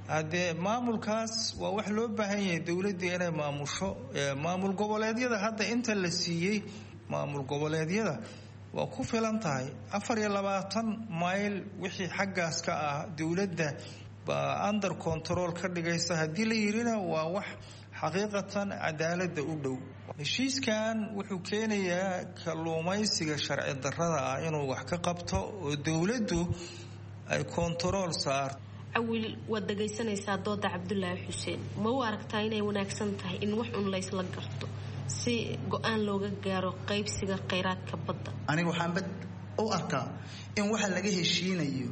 haddee maamulkaas waa wax loo baahan yahay dowladda inay maamusho. Maamul goboleedyada hadda inta la siiyey, maamul goboleedyada waa ku filan tahay. 24 mayl wixii xaggaas ka ah dowladda baa under control ka dhigaysa haddii la yidhina, waa wax xaqiiqatan cadaaladda u dhow. Heshiiskan wuxuu keenayaa kalluumaysiga sharci darrada ah inuu wax ka qabto oo dowladdu ay kontarool saarto.
Cawil, waad dhagaysanaysaa dooda Cabdulaahi Xuseen. Ma u aragtaa inay wanaagsan tahay in wax un laysla garto si go-aan looga gaaro qaybsiga kheyraadka badda?
Aniga waxaanba u arkaa in waxa laga heshiinayo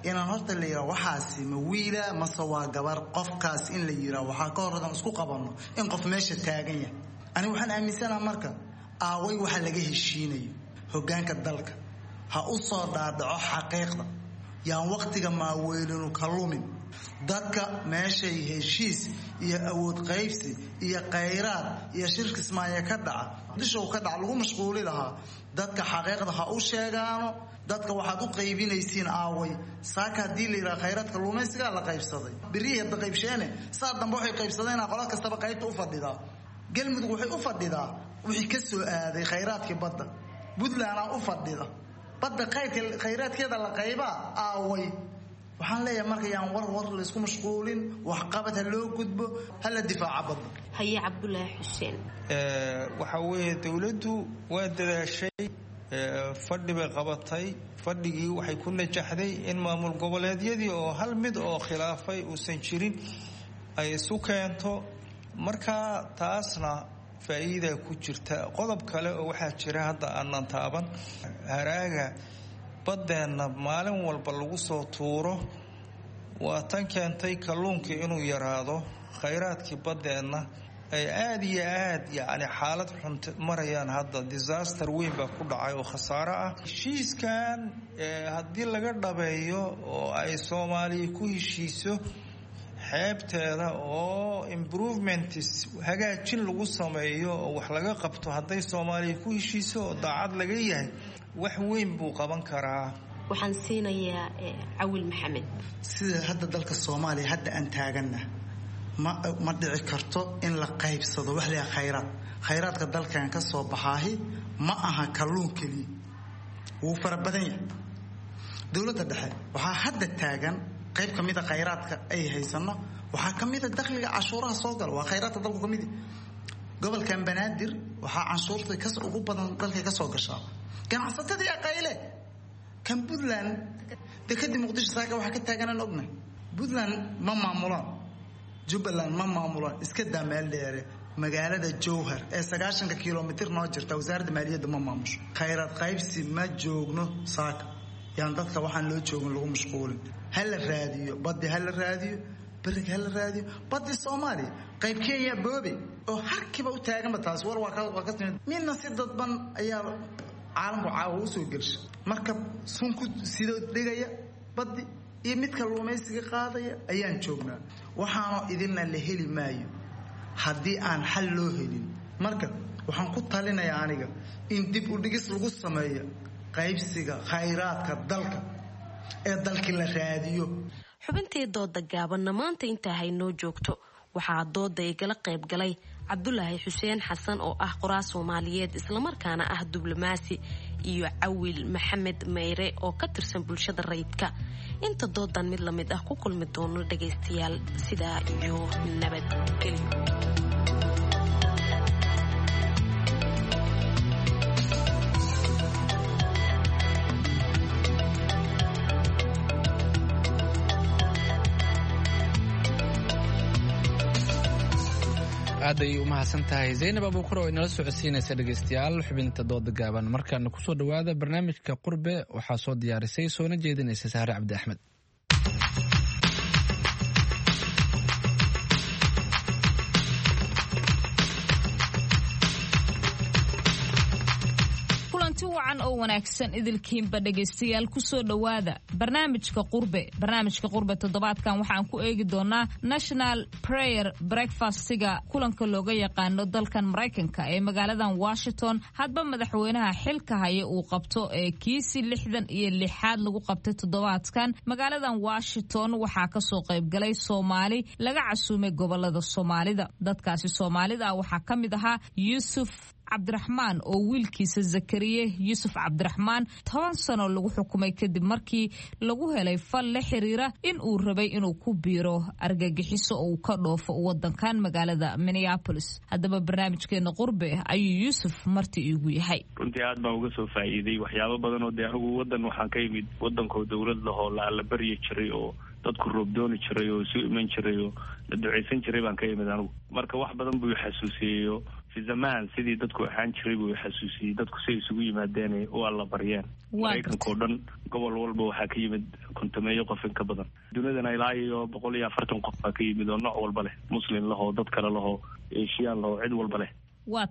inaan horta la yidhaha waxaasi ma wiila mase waa gabar qofkaas, in la yidhaha waxaa ka horradan isku qabanno in qof meesha taagan yahay. Aniga waxaan aaminsanaha marka, aaway waxa laga heshiinayo? Hoggaanka dalka ha u soo dhaadhaco xaqiiqda, yaan waqtiga maaweelinu ka lumin. Dadka meeshay heshiis iyo awood qaybsi iyo khayraad iyo shirka Ismaanya ka dhaca, dishow ka dhaca, lagu mashquuli lahaa, dadka xaqiiqda ha u sheegaano. Dadka waxaad u qaybinaysiin aaway? Saaka haddii la yidhaha khayraadka luumaysigaa la qaybsaday, berihii hadda qaybsheene, saa dambe waxay qaybsadeenaa qola kastaba qaybta u fadhidaa. Galmudug waxay u fadhidaa wixii ka soo aaday khayraadkii badda, Puntlandaa u fadhida badda khayraadkeeda la qaybaa, aaway? Waxaan leeyahay marka yaan war war laysku mashquulin, waxqabad ha loo gudbo, ha la difaaca badda.
Haye, Cabdulaahi Xuseen.
Waxa weeye, dowladdu waa dadaashay, fadhi bay qabatay. Fadhigii waxay ku najaxday in maamul goboleedyadii oo hal mid oo khilaafay uusan jirin ay isu keento. Marka taasna faa'iida ku jirta. Qodob kale oo waxaa jira hadda aanan taaban, haraaga baddeenna maalin walba lagu soo tuuro, waa tan keentay kalluunkii inuu yaraado, khayraadkii baddeenna ay aada iyo aad yacni xaalad xun marayaan. Hadda disaster weyn baa ku dhacay oo khasaaro ah. Heshiiskan haddii laga dhabeeyo oo ay Soomaaliya ku heshiiso xeebteeda oo improvements, hagaajin lagu sameeyo oo wax laga qabto, hadday Soomaaliya ku heshiiso oo daacad laga yahay, wax weyn buu qaban karaa.
Waxaan siinayaa Cawil Maxamed.
Sida hadda dalka Soomaaliya hadda aan taaganna, ma dhici karto in la qaybsado wax la khayraad. Khayraadka dalkan ka soo baxaahi ma aha kalluun keliya, wuu fara badan yahay. Dowladda dhexe waxaa hadda taagan qayb ka mida khayraadka ay haysano, waxaa ka mida dakhliga cashuuraha soo gala, waa khayraadka dalku ka mid. Gobolkan Banaadir waxaa canshuurta kas ugu badan dalka ka soo gashaa ganacsatadii aqayle. Kan Puntland, dekadii Muqdisho saaka waxaa ka taaganaan ognahay. Puntland ma maamulaan, Jubbaland ma maamulaan, iska daa meel dheere, magaalada Jowhar ee 90-ka kilomitir noo jirta wasaaradda maaliyadda ma maamusho. Khayraad qaybsi ma joogno saaka, yaan dadka waxaan loo joogin lagu mashquulin. Ha la raadiyo baddi, ha la raadiyo beriga, ha la raadiyo baddi Soomaaliya. Qayb Kenya boobe oo harkiiba u taaganba, taas war waa ka timid. Midna si dadban ayaa caalamku caawa usoo gelsha, marka sunku sidoo dhigaya baddi iyo mid kalluumaysiga qaadaya ayaan joognaa. Waxaanoo idinna la heli maayo haddii aan xal loo helin. Marka waxaan ku talinayaa aniga in dib u dhigis lagu sameeyo qaybsiga khayraadka dalka ee dalkii la raadiyo.
Xubintii dooda gaabanna maanta intaa haynoo joogto. Waxaa dooda igala qayb galay Cabdulaahi Xuseen Xasan oo ah qoraa Soomaaliyeed islamarkaana ah diblomaasi, iyo Cawil Maxamed Meyre oo ka tirsan bulshada rayidka. Inta doodan mid lamid ah ku kulmi doono dhagaystayaal, sidaa iyo nabadgelyo.
Aad ayay u mahadsan tahay Zaynab Abuukar oo inala socodsiinaysa dhegeystayaal xubinta dooda gaaban. Markaana kusoo dhowaada barnaamijka Qurbe, waxaa soo diyaarisay soona jeedinaysa Sahre Cabdi Axmed.
Kulanti wacan oo wanaagsan idilkiinba dhegaystayaal, kusoo dhowaada barnaamijka Qurbe. Barnaamijka Qurbe toddobaadkan waxaan ku eegi doonaa National Prayer Breakfastiga, kulanka looga yaqaano dalkan Maraykanka ee magaaladan Washington hadba madaxweynaha xilka haya uu qabto ee kiisi 66aad lagu qabtay toddobaadkan magaaladan Washington. Waxaa kasoo qaybgalay Soomaali laga casuumay gobolada Soomaalida. Dadkaasi Soomaalida ah waxaa ka mid ahaa Yuusuf Cabdiraxmaan oo wiilkiisa Zakariye Yuusuf Cabdiraxmaan 10 sano lagu xukumay kadib markii lagu helay fal la xiriira in uu rabay inuu ku biiro argagixiso oo uu ka dhoofo wadankan magaalada Minneapolis. Haddaba barnaamijkeena Qurbe ayuu Yuusuf marti iigu yahay.
Runtii aad baan uga soo faa'iiday waxyaabo badan oo dee anigu wadan waxaan ka yimid wadankoo dowlad lahoo la allabaryi jiray oo dadku roobdooni jiray oo isu iman jiray oo la ducaysan jiray baan ka yimid anigu. Marka wax badan buu xasuusiyeyo fi zamaan sidii dadku ahaan jiray buu xasuusiyey, dadku siay isugu yimaadeen u allabaryeen. Maraykanka oo dhan gobol walba waxaa ka yimid 50meeyo qof in ka badan, dunidana ilaa iyo 140 qof baa ka yimid oo nooc walba leh, muslim lahoo, dad kale lahoo, Eshiyaan lahoo, cid walba leh.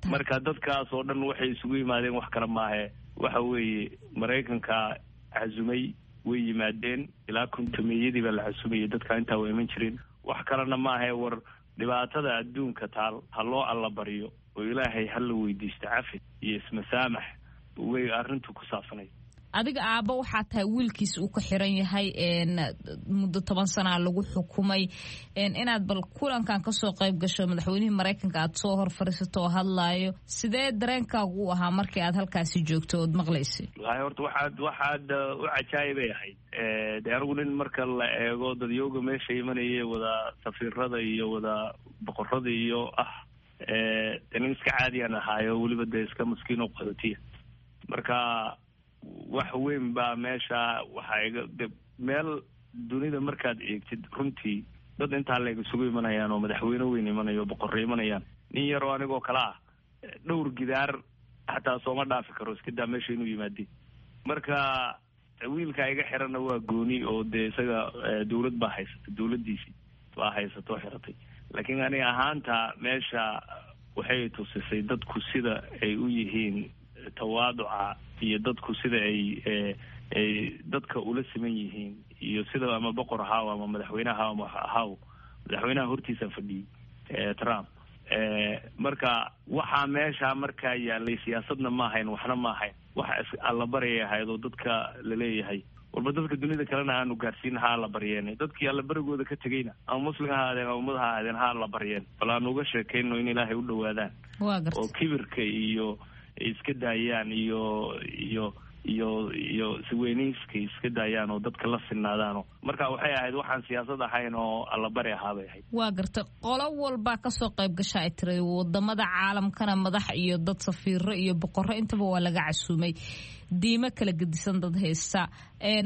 Marka dadkaas oo dhan waxay isugu yimaadeen wax kale maahe, waxa weeye Maraykanka casumay, way yimaadeen. Ilaa 50meeyadii baa la casumayay, dadka intaa waa iman jireen. Wax kalena maahe, war dhibaatada adduunka taal ha loo allabaryo oo Ilaahay ha la weydiisto cafi iyo ismasaamax way arrintu ku saabsanay.
Adiga aabba waxaa tahay wiilkiis uu ka xiran yahay, muddo 10 sanaa lagu xukumay. Inaad bal kulankan kasoo qayb gasho, madaxweynihii Maraykanka aad soo hor fariisato oo hadlaayo, sidee dareenkaagu u ahaa markii aad halkaasi joogto ood maqlaysay?
Wallahi horta waxaad u cajaayibay ahayd. Dee anigu nin marka la eego dadyooga meesha imanaya, wada safiirada iyo wada boqorada iyo ah, dee nin iska caadiyaan ahaayo, weliba dee iska maskiin oo qaxootiya. Marka wax weyn baa meesha waxaa iga de meel dunida markaad eegtid runtii dad intaa leeg isugu imanayaan oo madaxweyne weyn imanayo oo boqorre imanayaan, nin yaroo anigoo kale ah dhowr gidaar xataa sooma dhaafi karo, iska daa meesha inuu yimaade. Marka wiilka iga xiranna waa gooni oo dee isaga dawlad baa haysata, dawladdiisii baa haysata oo xiratay. Laakiin aniga ahaanta meesha waxay tusisay dadku sida ay u yihiin tawaaduca iyo dadku sida ay dadka ula siman yihiin iyo sida ama boqor ahaw ama madaxweyne ahaw ama ahaw. Madaxweynaha hortiisaan fadhiyey, Trump. Marka waxaa meesha markaa yaalay siyaasadna ma ahayn, waxna ma ahayn, waxa allabaryay ahayd oo dadka laleeyahay walba dadka dunida kalena aanu gaarsiin ha alla baryeen, dadkii allabarigooda ka tegeyna ama muslim ha ahaadeen ama ummad ha ahaadeen ha alla baryeen, bal aanu uga sheekayno in Ilaahay u dhowaadaan oo kibirka iyo ay iska daayaan iyo siweyneyska iska daayaan oo dadka la sinaadaano. Marka waxay ahayd waxaan siyaasad ahayn oo allabari ahaa bay ahayd.
Waa gartay. Qolo walbaa kasoo qayb gasha ay tiri, wadamada caalamkana madax iyo dad safiiro iyo boqorro intaba waa laga casuumay, diimo kala gedisan dad haysta.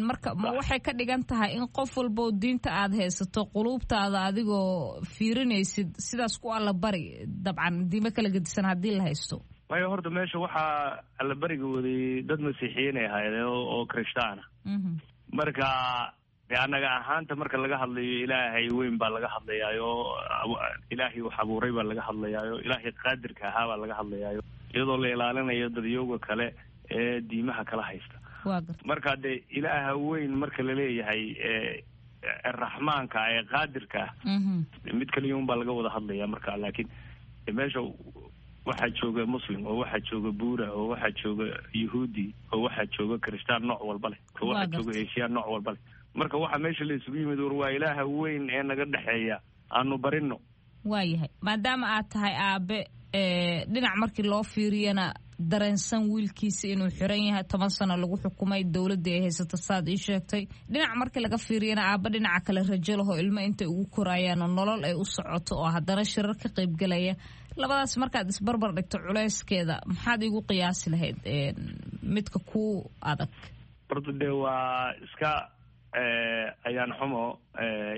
Marka ma waxay ka dhigan tahay in qof walboo diinta aad haysato quluubtaada adigoo fiirinaysid sidaas ku allabari, dabcan diimo kala gedisan haddii la haysto?
Waayo horta meesha waxaa allabariga waday dad masiixiyiin ay ahaydeen oo krishtaana. Marka dee annaga ahaanta marka laga hadlayo Ilaahay weyn baa laga hadlayaayo, Ilaahay wax abuuray baa laga hadlayaayo, Ilaahay qaadirka ahaa baa laga hadlayaayo, iyadoo la ilaalinayo dadyooga kale ee diimaha kala haysta. Marka dee Ilaaha weyn marka laleeyahay raxmaanka ee qaadirka ah, mid kaliya un baa laga wada hadlaya marka. Laakiin meesha waxaa jooga muslim oo waxaa jooga buura oo waxaa jooga yahuudi oo waxaa jooga kristaan nooc walba leh oo waxaa jooga eshiya nooc walba leh. Marka waxaa meesha la isugu yimid war waa Ilaaha weyn ee naga dhexeeya aanu barino.
Waayahay, maadaama aad tahay aabe, dhinac markii loo fiiriyana dareensan wiilkiisa inuu xiran yahay, 10 sano lagu xukumay, dowladii ay haysato saad ii sheegtay, dhinac markii laga fiiriyana aaba dhinaca kale rajo laho ilmo intay ugu korayaan oo nolol ay u socoto oo haddana shirar ka qaybgalaya, labadaas markaad isbarbar dhigto culeyskeeda maxaad iigu qiyaasi lahayd midka ku adag?
Horta dee waa iska ayaan xumo,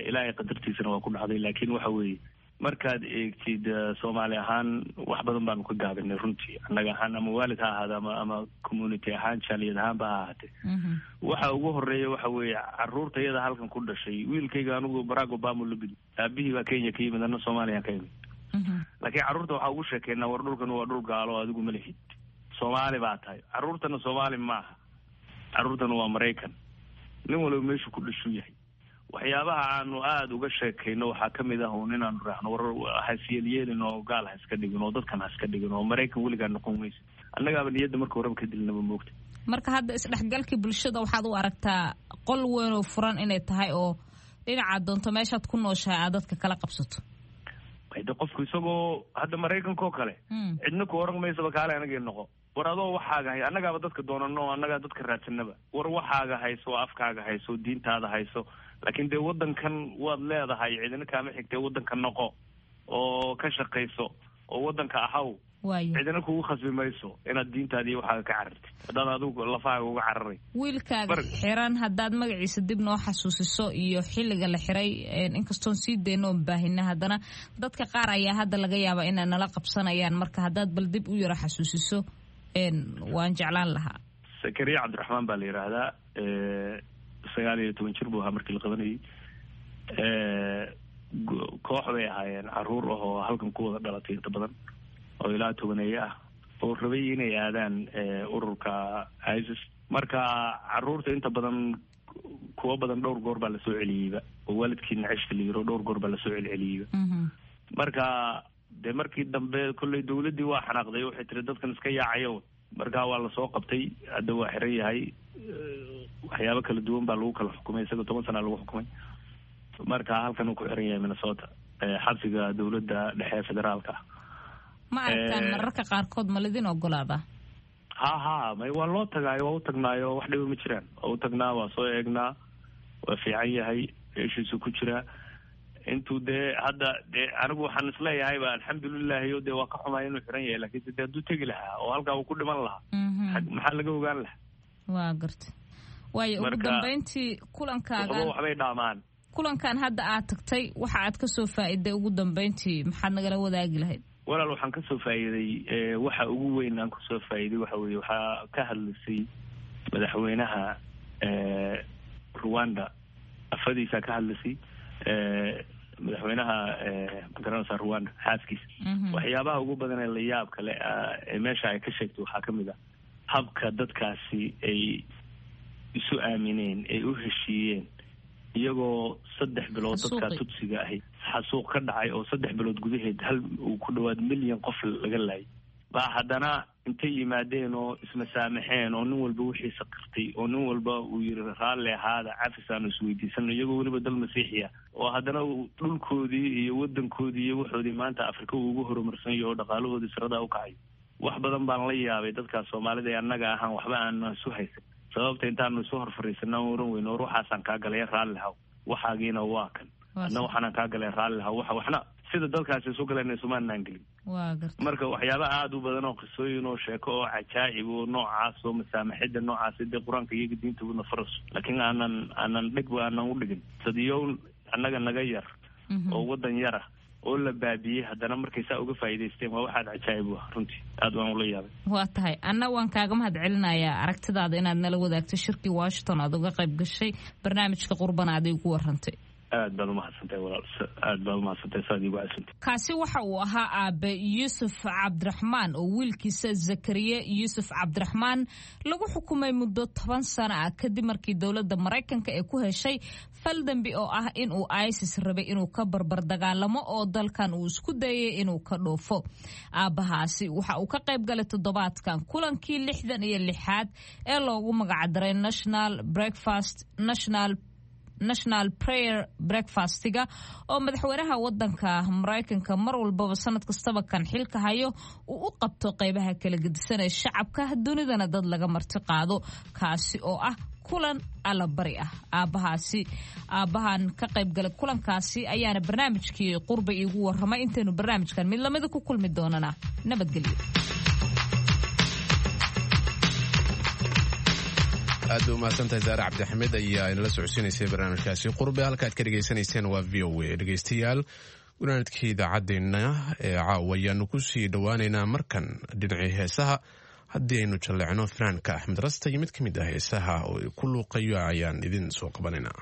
ilaahay qadartiisana waa ku dhacday, laakiin waxa weeye markaad eegtid Soomaali ahaan wax badan baanu ka gaabinay runtii, annaga ahaan ama waalid ha ahaada ama community ahaan, jaaliyad ahaanba ha ahaatee. Waxa ugu horeeya waxa weeye caruurta iyada halkan ku dhashay. Wiilkayga anigu Barack Obama la gudi, aabihii baa Kenya ka yimid, anna Soomaaliya ka yimid, laakiin carruurta waxaa ugu sheekeynaa war dhulkan waa dhul gaalo, adigu ma lihid, Soomaali baa tahay. Carruurtana Soomaali maaha, carruurtana waa Maraykan, nin waliba meeshu ku dhashuu yahay. Waxyaabaha aanu aada uga sheekayno waxaa kamid ah uun inaanu raacno war hasyeelyeelin oo gaal ha iska dhigin oo dadkan ha iska dhigin oo Maraykan weligaa noqon weysa, annagaaba niyadda marka horeba ka dilinaba moogta.
Marka hadda isdhexgalkii bulshada waxaad u aragtaa qol weyn oo furan inay tahay oo dhinacaad doonto meeshaad ku nooshahay aad dadka kala qabsato.
De qofku isagoo hadda Maraykanka oo kale cidna ku oran maysaba kaale anagii noqo, war adoo waxaaga hay, annagaaba dadka doonano, annagaa dadka raadsanaba, war waxaaga hayso, afkaaga hayso, diintaada hayso, laakiin dee waddankan waad leedahay, cidina kaama xigtee, waddanka noqo oo ka shaqayso oo waddanka ahaw, cidina kugu khasbi mayso inaad diintaada iyo waxaaga ka carartid haddaad adigu lafahaaga uga cararay.
Wiilkaaga xiran haddaad magaciisa dib noo xasuusiso iyo xilliga la xiray, inkastoon sii dayno oon baahina, haddana dadka qaar ayaa hadda laga yaabaa inay nala qabsanayaan, marka haddaad bal dib u yaro xasuusiso waan jeclaan lahaa.
Sakariya Cabdiraxmaan baa la yidhaahdaa, 19 jir buu ahaa markii la qabanayay. Koox bay ahaayeen caruur ah oo halkan ku wada dhalatay inta badan oo ilaa tobaneeye ah oo rabay inay aadaan ururka ISIS. Marka caruurta inta badan kuwa badan dhowr goor baa lasoo celiyeyba oo waalidkii naceshta la yiro, dhowr goor baa lasoo celceliyeyba. Marka dee markii dambe kolley dawladdii waa xanaaqday, waxay tiri dadkan iska yaacayo, marka waa lasoo qabtay, hadda waa xiran yahay. Waxyaabo kala duwan baa lagu kala xukumay, isaga 10 sanaa lagu xukumay. Marka halkan uu ku xiran yahay Minnesota, xabsiga dawladda dhexe federaalka ah.
Ma aragtaan mararka qaarkood ma lidin ogolaadaa?
Ha ha, may, waa loo tagaayo, waa u tagnaayo, wax dhiba ma jiraan, waa u tagnaa, waa soo eegnaa, waa fiican yahay, meeshiisu ku jiraa intuu dee hadda dee anigu waxaan isleeyahayba alxamdulilahi o dee waa ka xumay inuu xiran yahay, lakiinse dee hadduu tegi lahaa oo halkaa uu ku dhiman lahaa, maxaa laga ogaan lahaa?
Waa garta. Waayo, ugu dambeyntii kulankaagan
waxbay dhaamaan.
Kulankan hadda aad tagtay waxa aad kasoo faa'iiday ugu dambeyntii maxaad nagala wadaagi lahayd?
Walaal, waxaan kasoo faa'iiday, waxa ugu weyn aan kasoo faa'iiday waxa weeye waxaa ka hadlaysay madaxweynaha Rwanda, afadiisaa ka hadlaysay, madaxweynaha magaranaysa Rwanda xaaskiisa. Waxyaabaha ugu badan ee layaab kale ee meesha ay ka sheegtay waxaa kamid ah habka dadkaasi ay isu aamineen, ay u heshiiyeen, iyagoo 3 bilood dadkaa Tudsiga ahi xasuuq ka dhacay oo 3 bilood gudaheed hal uu ku dhawaad milyan qof laga laayay, baa haddana intay yimaadeen oo ismasaamaxeen oo nin walba wixiisa qirtay oo nin walba uu yiri raalli ahaada, cafis aanu isweydiisano, iyagoo weliba dal masiixiya oo haddana dhulkoodii iyo wadankoodii iyo waxoodii maanta Afrika uu ugu horumarsan yaho oo dhaqaalahoodii siradaa u kacayo. Wax badan baan la yaabay dadkaas Soomaalida ee annaga ahaan waxba aanu isu haysan, sababta intaanu isu hor fariisana oran weyno war waxaasaan kaa galaya raalli haw, waxaagiina waa kan, adna waxaanaan kaa galay raalli haw, waxa waxna sida dadkaasi isu galeen isumaanaan gelin. Marka waxyaaba aada u badan oo qisooyin oo sheeko oo cajaa'ib oo noocaas oo masaamaxida noocaas dee qur-aanka iyaga diinta una faraso, laakiin aanan dhigba aanan u dhigin sadiyow annaga naga yar oo waddan yara oo la baabiyey, haddana markay saa uga faa'iidaysteen waa waxaad cajaa'ib u ah runtii, aad waan ula yaabay.
Waa tahay, anna waan kaaga mahad celinayaa aragtidaada inaad nala wadaagto shirkii Washington aad uga qayb gashay, barnaamijka Qurbana aad igu warantay.
Aad baad umahadsantahay walaal, aad baad umahadsantahay saad iigu casantay.
Kaasi waxa uu ahaa aabe Yuusuf Cabdiraxmaan oo wiilkiisa Zakariye Yuusuf Cabdiraxmaan lagu xukumay muddo 10 sano ah kadib markii dowladda Maraykanka ay ku heshay fal dembi oo ah inuu ISIS rabay inuu ka barbar dagaalamo oo dalkan uu isku dayay inuu ka dhoofo. Aabbahaasi waxa uu ka qayb galay toddobaadkan kulankii 66aad ee loogu magacdaray National Breakfast National National Prayer Breakfastiga oo madaxweynaha wadanka Maraykanka mar walbaba sanad kastaba kan xilka hayo uu u qabto qeybaha kala gedisan ee shacabka dunidana dad laga marti qaado, kaasi oo ah kulan allabari ah. Aabbahaasi aabbahan ka qaybgalay kulankaasi ayaana barnaamijkii qurba iigu warramay. Intaynu barnaamijkan mid lamida ku kulmi doonana, nabadgelyo.
Aad bay umahadsantahay Saare Cabdixamed ayaa inala socodsiinaysay barnaamijkaasi qurbe. Halkaad ka dhegaysanayseen waa VOA. Dhegeystayaal, gunaanadkii idaacaddeenna ee caawa ayaanu kusii dhowaaneynaa. Markan dhinacii heesaha haddii aynu jalleecno, fanaanka Axmed Rasta iyo mid ka mid ah heesaha oo ku luuqayo ayaan idin soo qabanaynaa.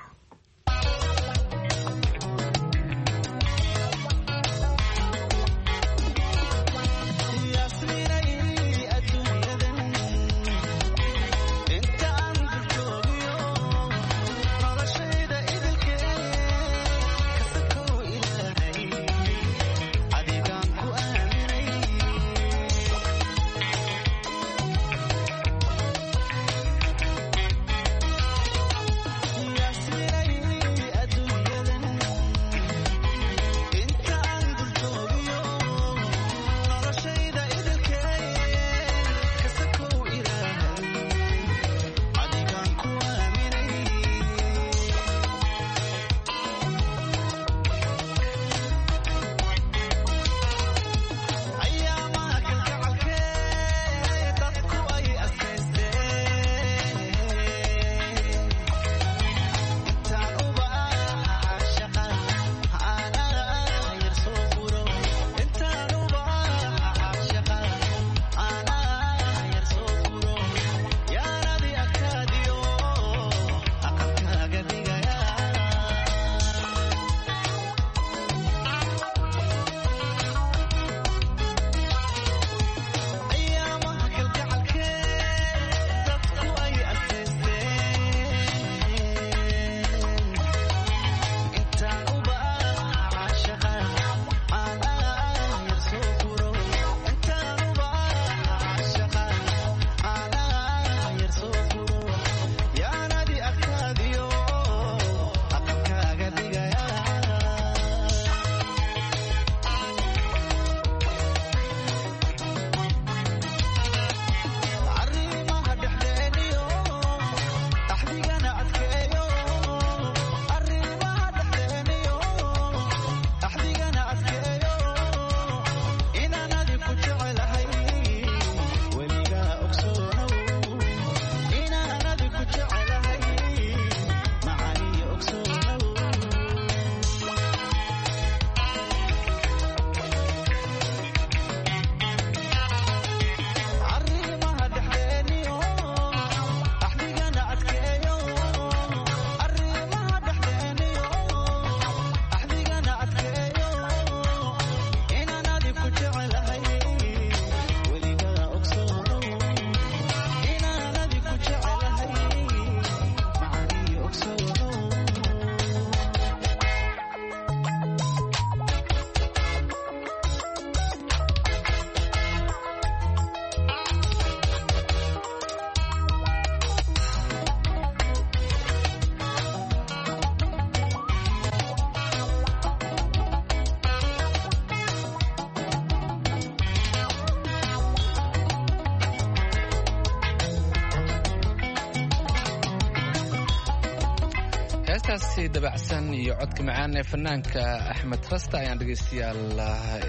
Heestaasi dabacsan iyo codka macaan ee fanaanka Axmed Rasta ayaan dhegaystayaal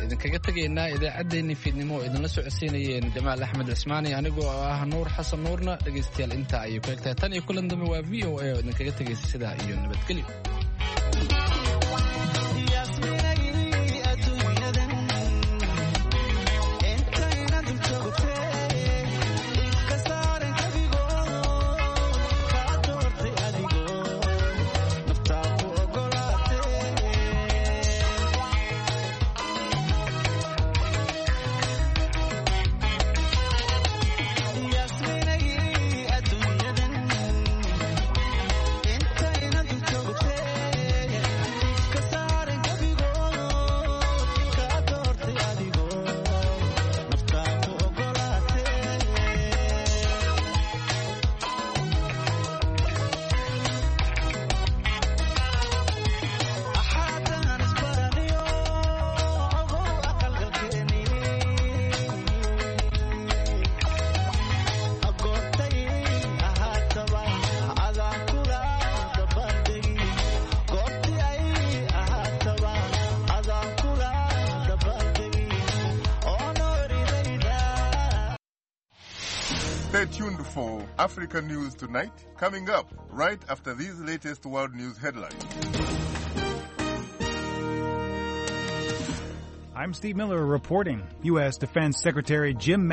idinkaga tegaynaa idaacaddeenii fiidnimo oo idinla socodsiinayeen Jamaal Axmed Cismaani, anigoo ah Nuur Xasan Nuurna. Dhegaystayaal, intaa ayay ku egtahay. Tan iyo kulan dambe, waa VOA oo idinkaga tegaysa sidaa iyo nabadgelyo.
Intayna dul joogtee. Stay tuned for Africa News Tonight, coming up right after these latest world news headlines.
I'm Steve Miller reporting. U.S. Defense Secretary Jim